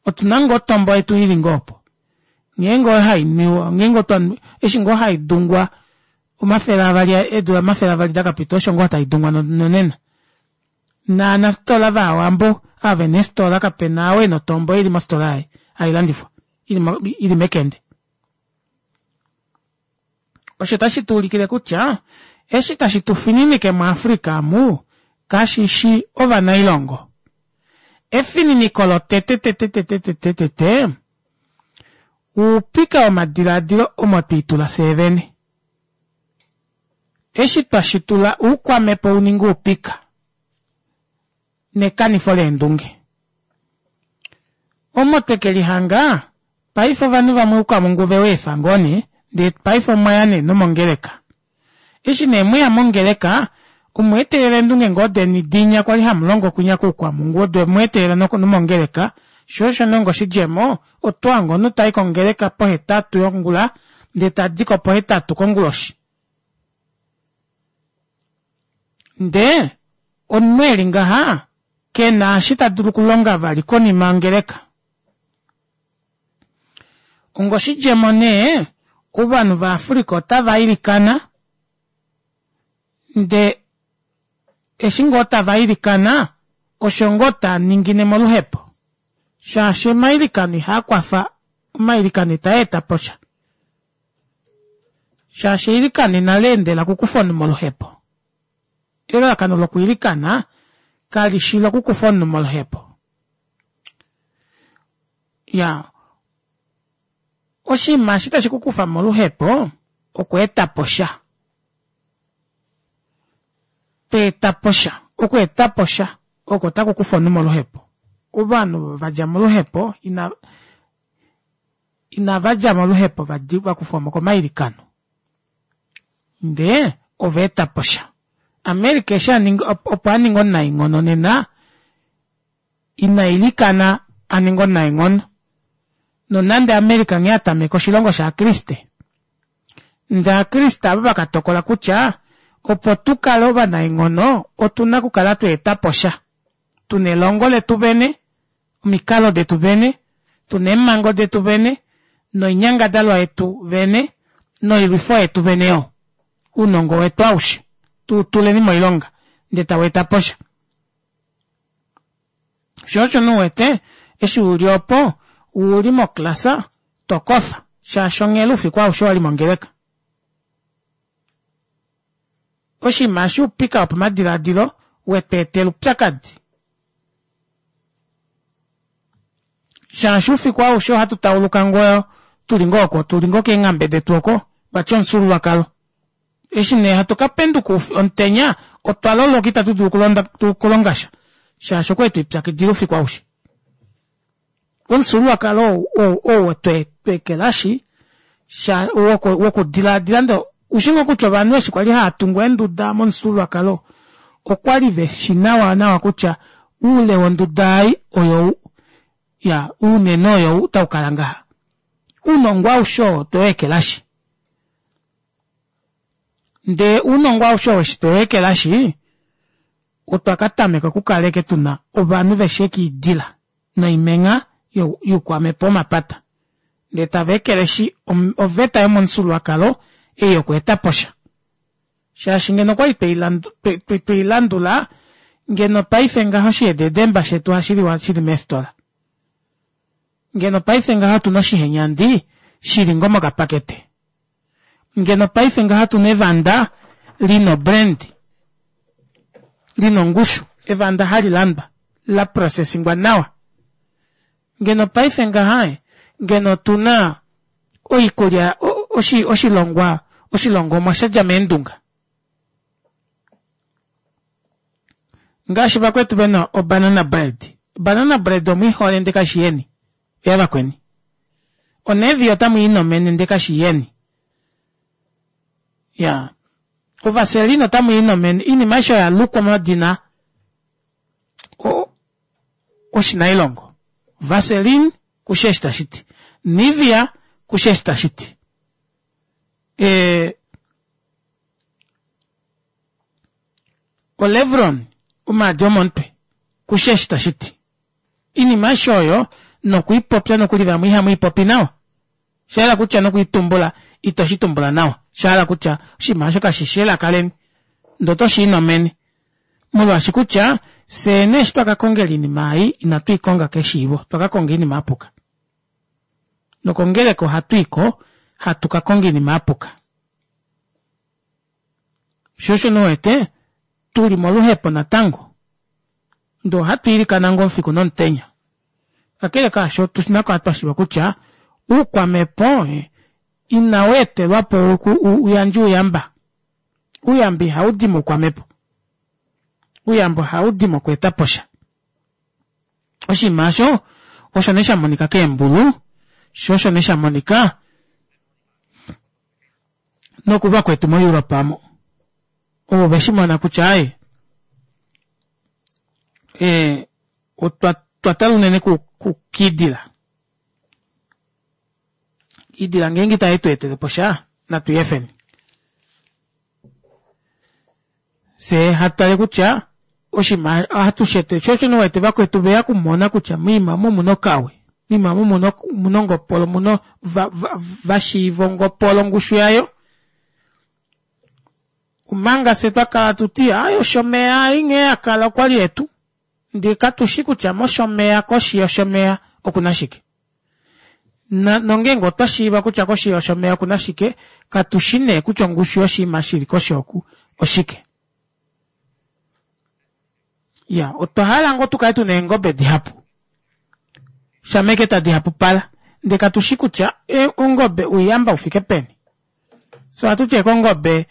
Otu na ngoo otombo yetu ili ngoo opo. Ngeenge oyo hai nwiwa, ngeenge otwa eshi ngoo hai dungwa 200 eedula 200 da ka pita osho ngoo tai dungwa nonena. Naanafitola vaawambo ava vena eefitola kapena ou ena otombo ili mofitola yaye hai landifwa ili mekende. Osho tashi tu ulikile kutya eshi tashi tu fininike muAfrica amu kashi shi ovanailongo. Efininiko lotete tete tete tete tete oupika womadilaadilo omo twiitula fyee vene. Eshi twa shitula oukwamhepo u ninge oupika nekanifo leendunge. Omo twe ke lihanga paife ovanhu vamwe oukwamhungu ove u efa ngoo nee ndee paife omwa ya nee nomongeleka. Eshi nee mweya mongeleka omwa etelela eendunge ngoo deni dinya kwali hamu longo kwinya koukwamhungu odo mwa etelela nomongeleka sho osho nee onga oshidjemo oto hange omunhu tai kongeleka pohetatu yongula ndee tadiko pohetatu konguloshi. Ndee omunhu eli ngaha kena eshi ta dulu okulonga vali konima yongeleka. Ongoshidjemo nee, ovanhu vaAfrica otava ilikana, nde eshi ngoo tava ilikana osho ngoo taa ningine moluhepo, shaashi omailikano ihaa kwafa, omailikano itaa eta po sha. Shaashi eilikano inali endela okukufa omunhu moluhepo. Elalakano lokwiilikana kali shi lokukufa omunhu moluhepo. Ya, oshinima eshi tashi ku kufa moluhepo okweeta po sha. To eta po sha. Okweeta po sha oko taku kufa omunhu moluhepo. Ovanhu va dja moluhepo ina inava dja moluhepo va kufwa mo komailikano. Ndee ova eta po sha. America eshi a ninga opo a ninga omunaenghono nena ina ilikana a ninge omunaenghono. Nonande America nghee a tameka oshilongo shAakriste, ndee Aakriste ava va ka tokola kutya opo tu kale ovanaenghono otu na okukala twa eta po sha. Tu na elongo letu vene, omikalo detu vene, tu na eemhango detu vene, noinyangadalwa yetu vene, noilwifo yetu vene yo. Ounongo wetu aushe tu u tuleni moilonga ndee tau eta po sha. Sho osho nee u wete eshi u li opo u li moklasa to kofa shaashi onghela oufiku aushe wa li mongeleka. Oshinima eshi oupika wopamadilaadilo we tu etela oupyakadi. Shaashi oufiku aushe ohatu tauluka ngoo tu li ngoo oko, tu li ngoo keenghambe detu oko, vati omufyuululwakalo. Eshi nee hatu ka penduka omutenya, otwa loloka itatu dulu okulonga sha, shaashi okwali twe lipyakidila oufiku aushe. Omufyuululwakalo ou oo twe ekelashi, wokudilaadila ndo ushi ngoo kutya ovanhu eshi kwali hava tungu eenduda momufyuululwakalo okwali ve shi nawa nawa kutya oule wonduda ei oyou, ya ounene oyou tau kala ngaha. Ounongo aushe oo otwe u ekelashi. Ndee ounongo aushe oo eshi tweu ekelashi, otwa ka tameka okukala ashike tu na ovanhu veshi ekiidila noimengha youkwamhepo womapata. Ndee tava ekeleshi oveta yomomufyuululwakalo ei yokweeta po sha. Shaashi ngeno okwali twei landula, ngeno paife ngaha oshihededemba shetu ohashi liwa shili meefitola. Ngeno paife ngaha otu na oshihenyandi shili ngoo mokapakete. Ngeno paife ngaha tu na evanda li na obrand, li na ongushu, evanda hali landwa, la processingwa nawa. Ngeno paife ngaha ngeno otu na oikulya, oshilongwa, oshilongomwa sha dja meendunga. Ngaashi vakwetu ve na obanana bread. Obanana bread omu i hole ndele kashi yeni, oyavakweni. Onevi otamu i nomene ndele kashi yeni. Ya. Ovaseline otamu i nomene. Oinima aishe oya lukwa omadina oshinailongo. Vaseline kushi eshi tashi ti. Nivea kushi eshi tashi ti. E, olevron omaadi omomutwe kushi eshi tashi ti. Iinima aishe oyo nokuipopya nokuli vamwe ihamu ipopi nawa. Sha hala kutya nokuitumbula ito shi tumbula nawa. Sha hala kutya oshinima osho kashi shi elaka leni ndee oto shi inomene. Molwaashi kutya fyee nee eshi twa ka kongela oinima ei inatu i konga keshiivo, otwa ka konga oinima ya puka. Nokongeleka ohatu i ko hatu ka konga oinima ya puka. Sho osho nee uwete tu li moluhepo natango. Ndee ohatu ilikana ngoo omufiku nomutenya. Kakele kaasho otu na okukala twa shiiva kutya oukwamhepo inau etelwa po u yandje ouyamba. Ouyamba ihau di moukwamhepo. Ouyamba ohau di mokweeta po sha. Oshinima osho osho nee sha monika keembulu, sho osho nee sha monika nokuvakwetu moEurope omo. Ovo ve shi mona kutya aaye e, otwa twa tala unene kukiidila. Iidila ngeenge itai tu etele po sha, natu i efeni. Fye hatu tale kutya oshinima ohatu shi etele, sho osho nee wete vakwetu veya okumona kutya moima omu omuna okawe, moima omu omuna ongopolo, omuna va shiiva ongopolo ongushu yayo. Omanga fye twa kala atu ti aaye oshomeya ei nghee ya kala okwali yetu, ndee katu shi kutya moshomeya koshi yoshomeya okuna shike. Na, nongeenge otwa shiiva kutya koshi yoshomeya oku na shike, katu shi nee kutya ongushu yoshinima shi li koshi oku oshike. Ya, otwa hala ngoo tu kale tu na eengobe dihapu, shameke tadi hapupala, ndee katu shi kutya e, ongobe ouyamba u fike peni. Fye ohatu ti eke ongobe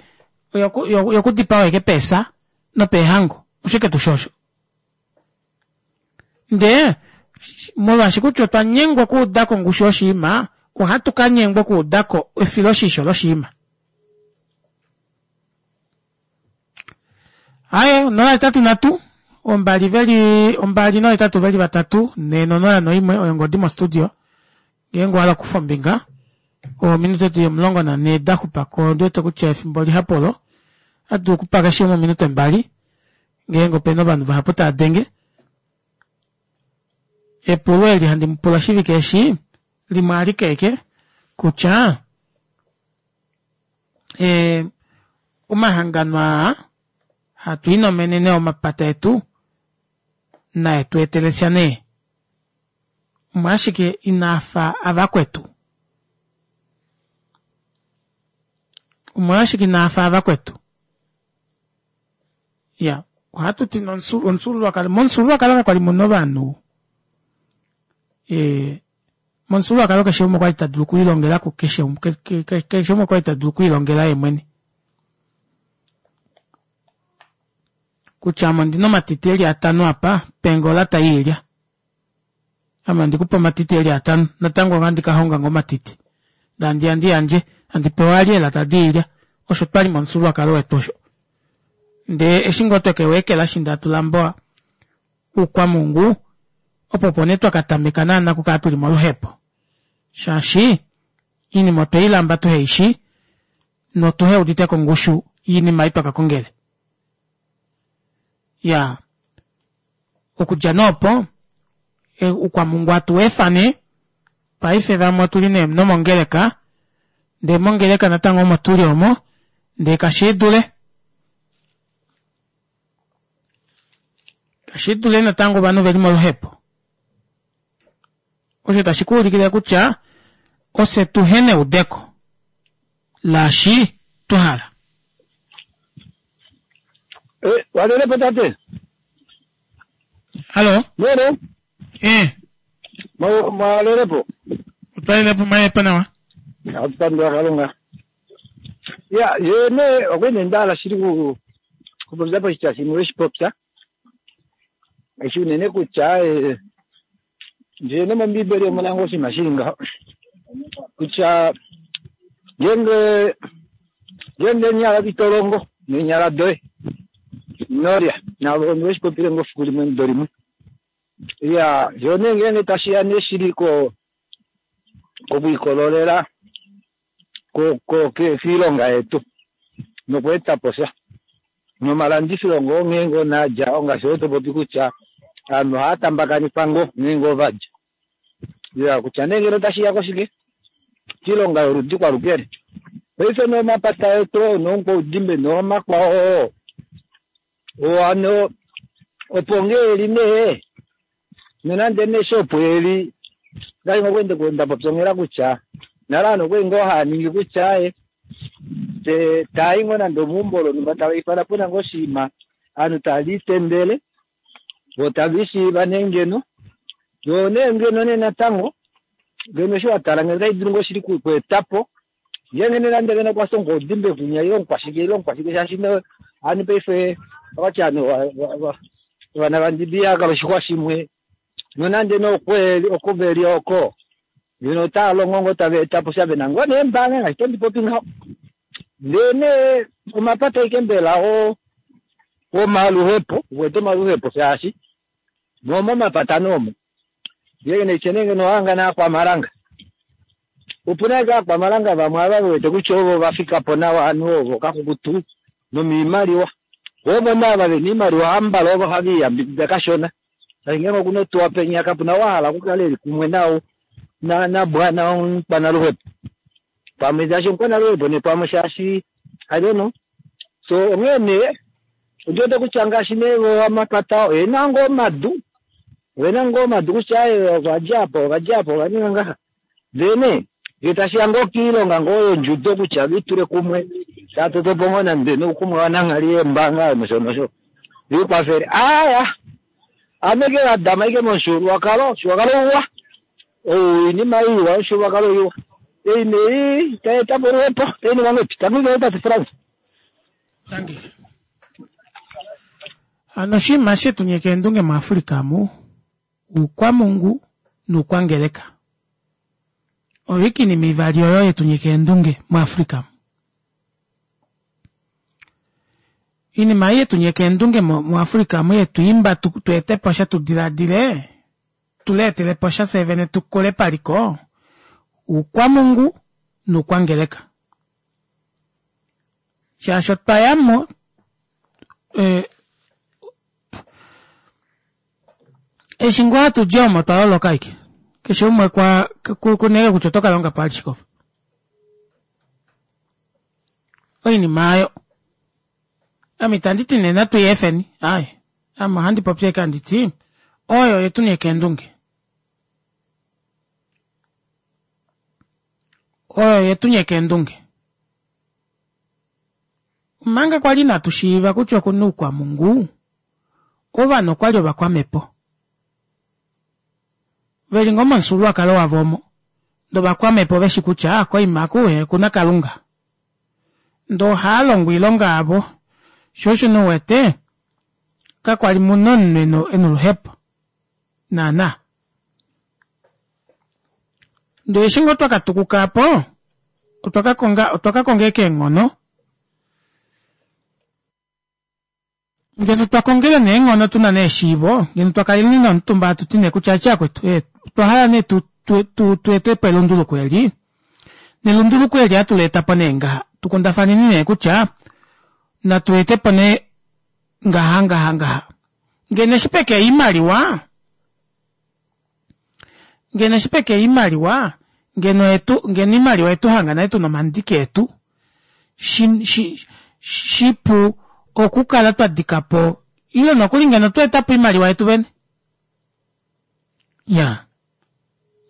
oyokudipawa ashike peesa nopeehango, oshike tuu shosho? Ndee molwaashi kutya otwa nyengwa okuuda ko ongushu yoshinima, ohatu ka nyengwa okuuda ko efiloshisho loshinima. Aye, 083 ombali veli ombali nohetatu veli vatatu ne nonola noimwe oyo ngodi mostudio ngeenge owa hala okukufa ombinga ominute dili 14 da xupa ko ondi wete kutya efimbo lihapu olo ohatu dulu okupa keshe umwe ominute mbali ngeenge opena ovanhu vahapu tava denge. Epulo eli handi mu pula oshivike eshi limwe alike eke kutya e, omahangano aa hatu inomenene omapata etu nae tu etele sha nee omolwashike inaa fa avakwetu omolwashike inaa fa avakwetu Ya, ohatu ti omufyuululwakalo, momufyuululwakalo ka kwali muna ovanhu e, momufyuululwakalo keshe umwe okwali ta dulu okwiilongela ku keshe keshe umwe okwali ta dulu okwiilongela ye mwene. Kutya ame ondina omatiti eli atano apa, penge olata yiilya. Ame andi kupe omatiti eli atano, natango ohandi ka honga ngoo omatiti. Ndee handi ya ndi yandje, handi pewa vali eelata diilya. Osho twali momufyuululwakalo wetu osho. Ndee eshi ngoo tweke u ekelashi ndee hatu lamba oukwamungu, opo opo nee twa ka tameka naana okukala tuli moluhepo. Shaashi oinima otwe i lamba tuhe i shi notuhe udite ko ongushu yoinima ei twa ka kongele. Iyaa. Okudja nee opo, oukwamungu hatu u efa nee. Paife vamwe otu li nee nomongeleka, ndee mongeleka natango omo tu li omo, ndee kashi dule. Kashi dule natango ovanhu ve li moluhepo. Osho tashi ku ulikile kutya ofye tuhe neudeko laashi twa hala. Eh, walelepo tate. Halo? Mene? Eh. Mwalelepo? Otwalelepo mwalelepo nawa. Atupandula Kalunga. Ya, ye ne okwene ndala shili ku kupopya poshitya shimwe weshi popya. Eshi unene kutya eh, ndele nomombiibeli omu na ngoo oshinima shi li ngaho kutya ngeenge ngeenge eenyala ito longo neenyala doye ino lya navo onde shi popile ngoo efiku limwe emudo limwe iya yo nee ngeenge tashi ya nee shili ko kokwiikololela. Kiilonga yetu nokweeta po sha nomalandifilo ngoo nghee ngoo naadja ongaashi oyo to popi kutya aanhu ohaya tambakanifa ngoo nghee ngoo vadja ya kutya nee ngeno tashi ya koshike kiilonga yoludi kwalukele paife nomapata etu noonkoudimbe noomakwao oo ano opo ngee eli nee nonande nee shopo eli ngaashi ngokwende nda popya onghela kutya nale aanhu okwali ngoo haa ningi kutya aye taayi ngoo nande omeumbo lonhumba tava ifana puna ngoo oshinima aanhu tava itendele vo tava ishiiva nee ngeno yo nee ngeno nee natango ngeno eshi wa tala ngeno otashi dulu ngoo shili kweeta po ngeenge nee nande ngeno okwa omukwaudimbe kunya ile omukwashike ile omukwashike shaashi aanhu paife okwati aanhu ovana vandibi ihakala oshixwa shimwe nonande nee oko veli oko ngeno otava longo ngoo tava eta po sha vena ngoo neembaanga ngaashi tondi popi ngaho ndee nee omapata aike mbela omaluhepo wete omaluhepo shaashi momomapata noomo ngeenge neitye nee ngeno ohanga naakwamalanga opuna ashike aakwamalanga vamwe ava ve wete kutya ovo va fika po nawa ovanhu ovo kakukutu nomiimaliwa ovo naava vena iimaliwa hambala ovo have iyambidida kashona shaashi ngeenge okuna otuwa penya kapuna wa hala okukala eli kumwe nao nabwana omukwanaluhepo pamwe shaashi omukwanaluhepo nee pamwe shaashi I don't know so onghee nee ondi wete kutya ngaashi nee amapata oyena ngoo omadu oyena ngoo omadu kutya ovadja apa ovadja apa ova ninga ngaha ndee nee ngee tashiya ngoo kiilonga ngoo yondjudo kutya vitule kumwe tatotopo ngoo nande noukumwe wananghali yeembanga nosho nosho vikwafele aya ame ke wadama ike momufyuululwakalo omufyuululwakalo uwa oinima iwa omufyuululwakalo iwa ei nei taeta po oluhepo tainingwa ngwepi tangi tate Frans. Tangi. Ano oshinima shetu nyeka eendunge muAfrika mu uukwamungu nuukwangeleka. Oyo ike iinima ivali oyo yetu nyeka eendunge muAfrika mu. Iinima ei yetu nyeka eendunge muAfrika mu yetu imba tu ete po sha tu diladile tu leetele po sha fye vene tu kule paliko uukwamungu nuukwangeleka. Shaashi otwa ya mo eshi ngoo hatu di omo otwa loloka ashike. Keshe umwe kwa kunege kutya oto ka longa po alishe kofa. Oinima ayo. Ame itandi ti nee natu i efeni, aaye. Ame ohandi popi ashike handi ti oyo yetu nee keendunge. Oyo yetu nee keendunge. Omanga kwali inatu shiiva kutya oku na oukwamungu, ovanhu okwali ovakwamhepo. Ve li ngoo momufyuululwakalo wavo omo. Ndee ovakwamhepo ve shi kutya koima aku okuna Kalunga. Ndee ohaa longo oilonga yavo. Sho osho nee u wete, kakwali mu na omunhu e na oluhepo. Naana. Ndee eshi ngoo twa ka tukuka apo, otwa ka konga otwa ka konga ashike eenghono. Ngeno twa kongele nee eenghono tu na nee eshiivo, ngeno twa kalele nee omutumba hatu ti nee kutya ache akwetu, eh, otwa hala nee tu, tu, tu, tu ete po elunduluko eli. Nelunduluko eli hatu li eta po nee ngaha. Tu kundafaneni nee kutya natu ete po nee ngaha ngaha ngaha. Ngeno eshi peke oimaliwa, ngeno eshi peke oimaliwa, ngeno etu, ngeno oimaliwa etu hanga nale tuna omandiki etu, shi, shi, shipu okukala twa dika po, ile nokuli ngeno twa eta po oimaliwa yetu vene. Ya.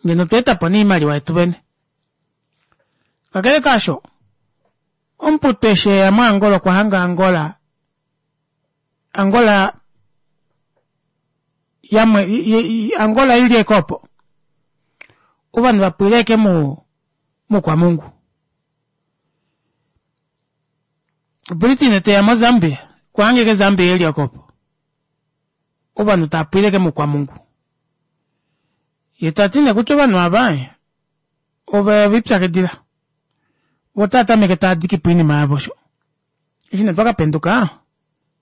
Ngeno twa eta po nee oimaliwa yetu vene. Kakele kaasho, omuputu eshi eya moAngola okwa hanga Angola, Angola yamwe, Angola ili eke opo. Ovanhu va pwila eke mu, mukwamungu. Britain teya moZambia, okwa hanga eke Zambia eli oko opo. Ovanhu tava pwile eke mukwamungu. Ye ta ti nee kutya ovanhu ava ove lipyakidila. Vo otava tameke tava diki po oinima yavo osho. Eshi nee twa ka penduka,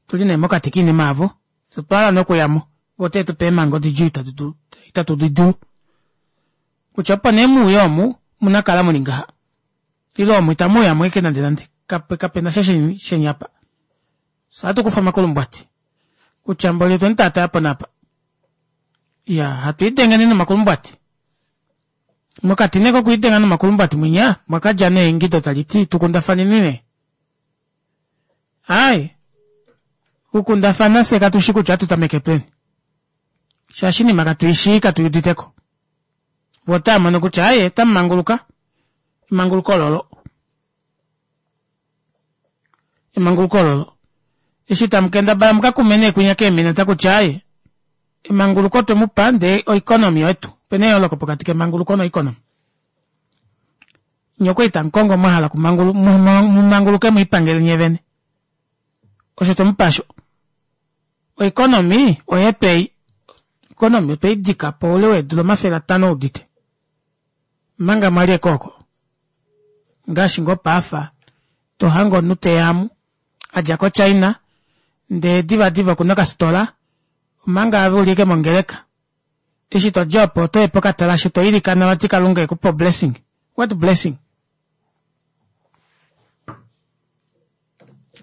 tu li nee mokati koinima yavo, fye otwa hala nee okuya mo. Vo otave tu pe eemhango didjuu itatu di dulu. Kutya opo nee mu uye omu, omu na kala mu li ngaha. Ile omu itamu uya mo ashike nande nande. Kape, kape na sha sheni, sheni apa. Fye ohatu kufa omakulumbwati. Kutya mboli otwe mu taataya po napa. Ya, hatu idenge nee nomakulumbwati. Mokati nee kokwiidenga nomakulumbwati mwinya, mwa ka dja nee eingido tali ti, Tu kundafaneni nee. Ai, kukundafana fye katu shi kutya ohatu tameke peni. Shaashi iinima katu i shii, katu i udite ko. Vo otava mono kutya aye, otamu manguluka. Emanguluko ololo. Emanguluko ololo. Eshi tamu kendabala mu ka kume nee kwinya keemineta kutya aye, emanguluko otwe mu pa ndee oeconomy oyetu. Opena eyooloko pokati kemanguluko noeconomy. Nye okwali tamu kongo mwa hala kumangulu, mu manguluke mu ipangele nye vene. Osho twe mu pa sho. Oeconomy oyetu ei. Oeconomy otwe i dika po oule weedula 500 udite. Omanga mwa li ekooko. Ngaashi ngoo paafa to hange omunhu te ya amu, a dja koChina, ndee divadiva oku na okasitola, omanga ave u li ashike mongeleka. Eshi to dja opo oto ye pokatalashe to ilikana vati Kalunga e ku pe oblessing. What blessing?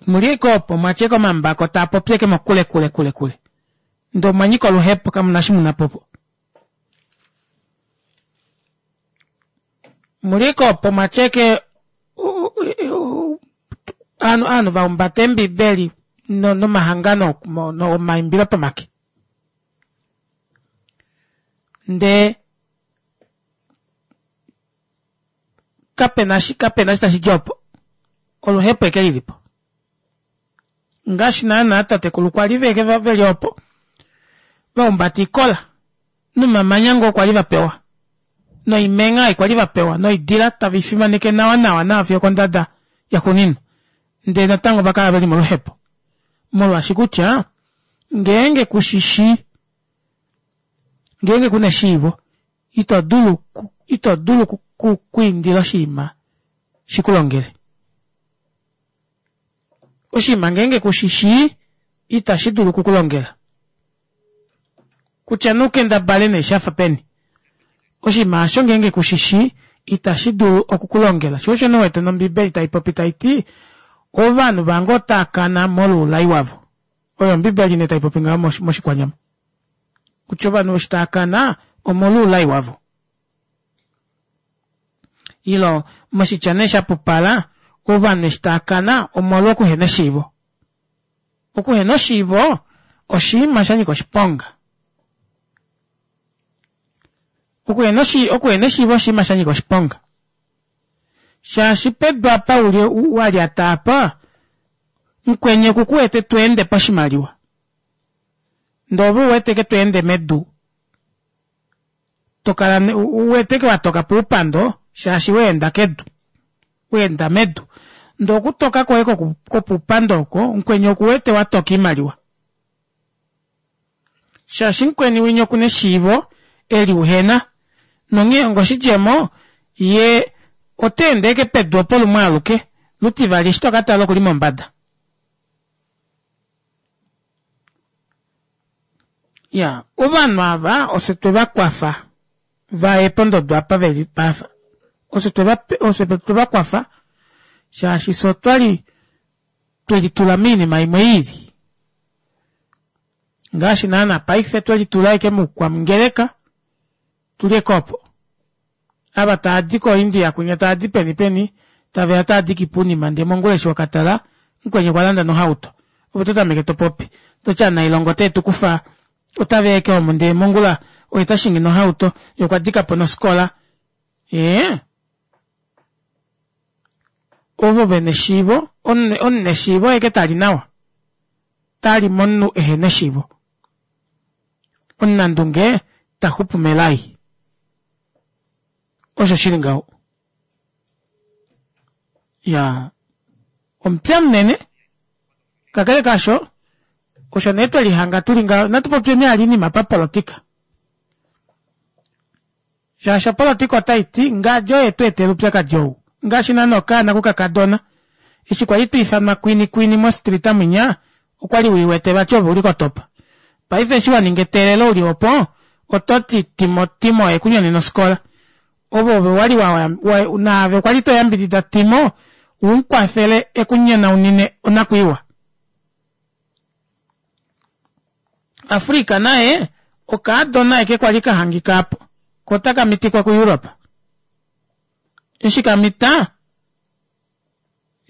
Mu li ashike opo mwa tya ashike omambako taa popi ashike mokule kule kule kule. Ndee omwa nyika oluhepo kamu na eshi mu na po opo. Mu li ashike opo mwa tya ashike ovanhu ovanhu va humbata eembibeli nomahangano omaimbilo pomake. Ndee kapena shi kapena shi tashi dji opo. Oluhepo eke lili po. Ngaashi naanaa tatekulu kwa li veke veli opo va humbata ikola nomamanya ngoo kwa li va pewa noimengha ei kwa li va pewa noidila tave i fimaneke nawa nawa nawa fiyo okondada yaxuuninwa. Ndele natango va kala ve li moluhepo. Molwaashi kutya ngeenge ku shi shii, ngeenge ku na eshiivo, ito dulu ito dulu okwiindila oshinima shi ku longele. Oshinima ngeenge ku shi shii, itashi dulu oku ku longela. Kutya nee u kendabale nee sha fa peni, oshinima osho ngeenge ku shi shii, itashi dulu oku ku longela. Sho osho nee wete nOmbibeli tai popi tai ti, Ovanhu vange otaa kana molwoulai wavo. Oyo Ombibeli nee tai popi ngaho mOshikwanyama. Kutya ovanhu eshi taa kana omolwoulai wavo. Ilo moshitya nee sha pupala, ovanhu eshi taa kana omolwokuhena eshiivo. Okuhena oshiivo oshinima sha nyika oshiponga. Okuhena eshiivo oshinima sha nyika oshiponga. Shaashi pedu apa uli wa lyata apa, mukweni oku ku wete to ende poshimaliwa. Ndee ove u wete ke to ende medu, to kala u wete ke wa toka puupando shaashi wa enda kedu, wa enda medu. Ndee okutoka kwoye kopuupando oko, mukweni oku wete wa toka oimaliwa. Shaashi mukweni winya oku na eshiivo eli uhena, nonghee ongoshidjemo, ye ota ende ashike pedu opo lumwe aluke, lutivali eshi to ka tala oku li mombada. Ya, ovanhu ava ofye twe va kwafa va ye pondodo apa ve li paife. Ofye twe va, ofye twe va kwafa shaashi fye otwa li twe litula moinima imwe i ili. Ngaashi naana paife twe litula ashike moukwamungeleka, tu li ashike opo. Ava tava di koIndia kwinya tava di peni peni, tave ya tava diki po oinima ndee mongula eshi wa ka tala, mukweni okwa landa nohauto. Ove oto tameke to popi, to ti anailonga ote tu kufa, otave ya ashike omu ndee mongula oye ta shingi nohauto, ye okwa dika po nofikola. Ee. Ovo ve neshiivo, omuneshiivo oye ke tali nawa, tali momunhu ehe neshiivo. Omunandunge ta xupu melai. Osho shi li ngaho. Ya, omupya munene, kakele kaasho, osho nee twe lihanga tu li ngaho. Natu popyeni hali oinima papolotika. Shaashi opolotika otai ti ngadjo oye tu etela oupyakadi ou. Ngaashi naana okaana kokakadona. Eshi kwali twa ifanwa Kwini Kwini mostrita mwinya, okwali wi wete vati ove uli kotopa. Paife eshi wa ninga eteelelo uli opo, oto ti Timo Timo oye ku nyonena ofikola. Ove ove wali wa, wa naave okwa li to yambidida Timo u mu kwafele e ku nyonaunine onakwiiwa. Afrika naye okaadona eke kwa li ka hangika apo, ko otaka mitikwa kuEurope. Eshi ka mita,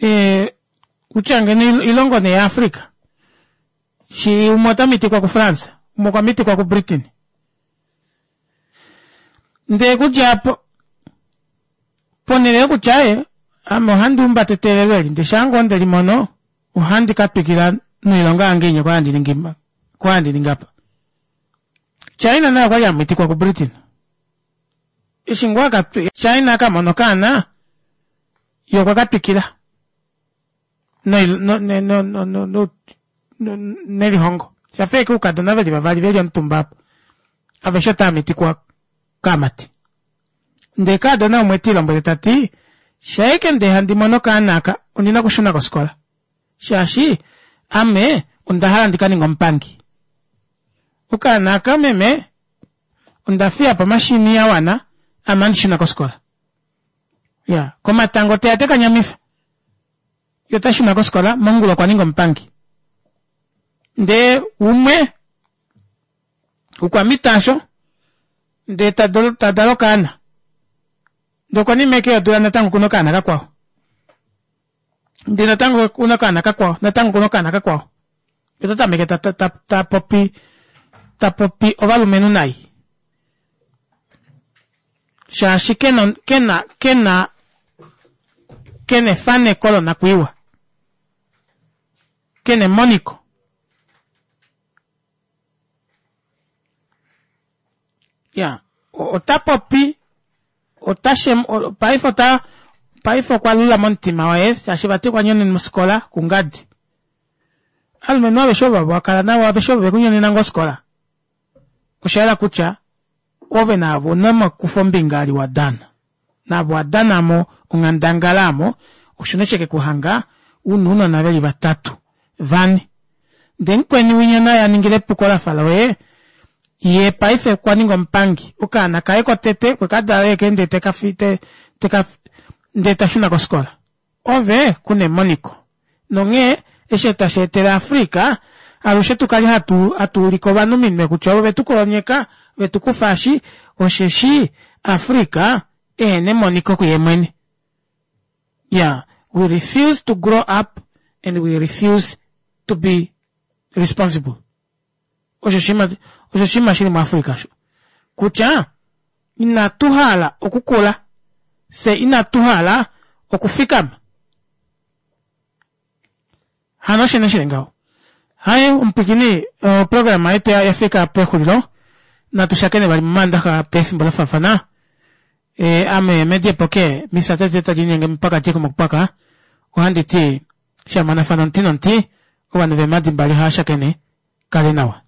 e, kutya ngeno ilongo nee yaAfrika, shi umwe ota mitikwa kuFrance, umwe okwa mitikwa kuBritain. Ndee kudja apo, ponhele yokutya ye, ame ohandi humbata eteelelo eli, ndee shaa ngoo nde li mono, ohandi ka twikila noilonga yange inya kwa handi ningi kwa handi ningi apa. China naye okwali a mitikwa kuBritain. Eshi ngoo aka China aka mona okaana, ye okwa ka twikila nelihongo. Shafa ashike oukadona veli vavali veli omutumba apa. Aveshe otava mitikwa kaamati. Ndee kaadona umwe ti lombwele ta ti, Shaike ndee handi mono okaana aka, ondi na okushuna kosikola. Shaashi ame onda hala ndi ka ninge omupangi. Okaana aka meme, onda fiya po omashini ya wana, ame ohandi shuna kosikola. Ya, komatango teya te ka nyamifa. Ye ota shuna kosikola, mongula okwa ninga omupangi. Ndee umwe okwa mita asho, ndee ta dala okaana. Ndee konima eke yodula natango okuna okaana kakwao. Ndee natango okuna okaana kakwao, natango okuna okaana kakwao. Ye ota tameke ta, ta, ta, ta popi, ta popi ovalumenhu nai. Shaashi kena, kena, kena, kena efaneko lonakwiiwa. Kena emoniko. Ya, ota popi, ota shem, paife ota, paife okwa lula momutima waye, shaashi vati okwa nyonena mosikola kungadi. Alumenhu aveshe ovo wa kala navo aveshe ovo ve ku nyonena ngoo osikola. Osha yela kutya ove naavo una omakufombinga ali wa dana. Naavo wa dana mo onghandangala amo, osho nee sheke ku hanga una ounona veli vatatu, vane. Ndee mukweni winya naye a ningile epuko lafa loye, ye paife okwa ninga omupangi. Okaana kaye kotete okwe ka dala eke ndee teka fi, te, teka, ndee ta shuna kosikola. Ove ku na emoniko. Nonghee eshi otashi etele Africa alushe tu kale hatu, hatu ulike ovanhu ominwe kutya ove tu kolonyeka, ve tu kufa eshi, osheshi Africa ehena emoniko kuye mwene. Yeah, we refuse to grow up and we refuse to be responsible. Osho oshinima, osho oshinima shili muAfrica osho. Kutya inatu hala okukula, fye inatu hala okufikama. Hano osho nee shili ngaho. Haye omupwikini, oprograma yetu ya fika pexulilo. Natu shakene vali momaandaxa pefimbo la faafana. E, ame mediepoke misa tete tadi linyenge mupaka mokupaka ohandi ti shamonafana omuti nomuti ovanhu veemhadi mbali hava shakene kale nawa.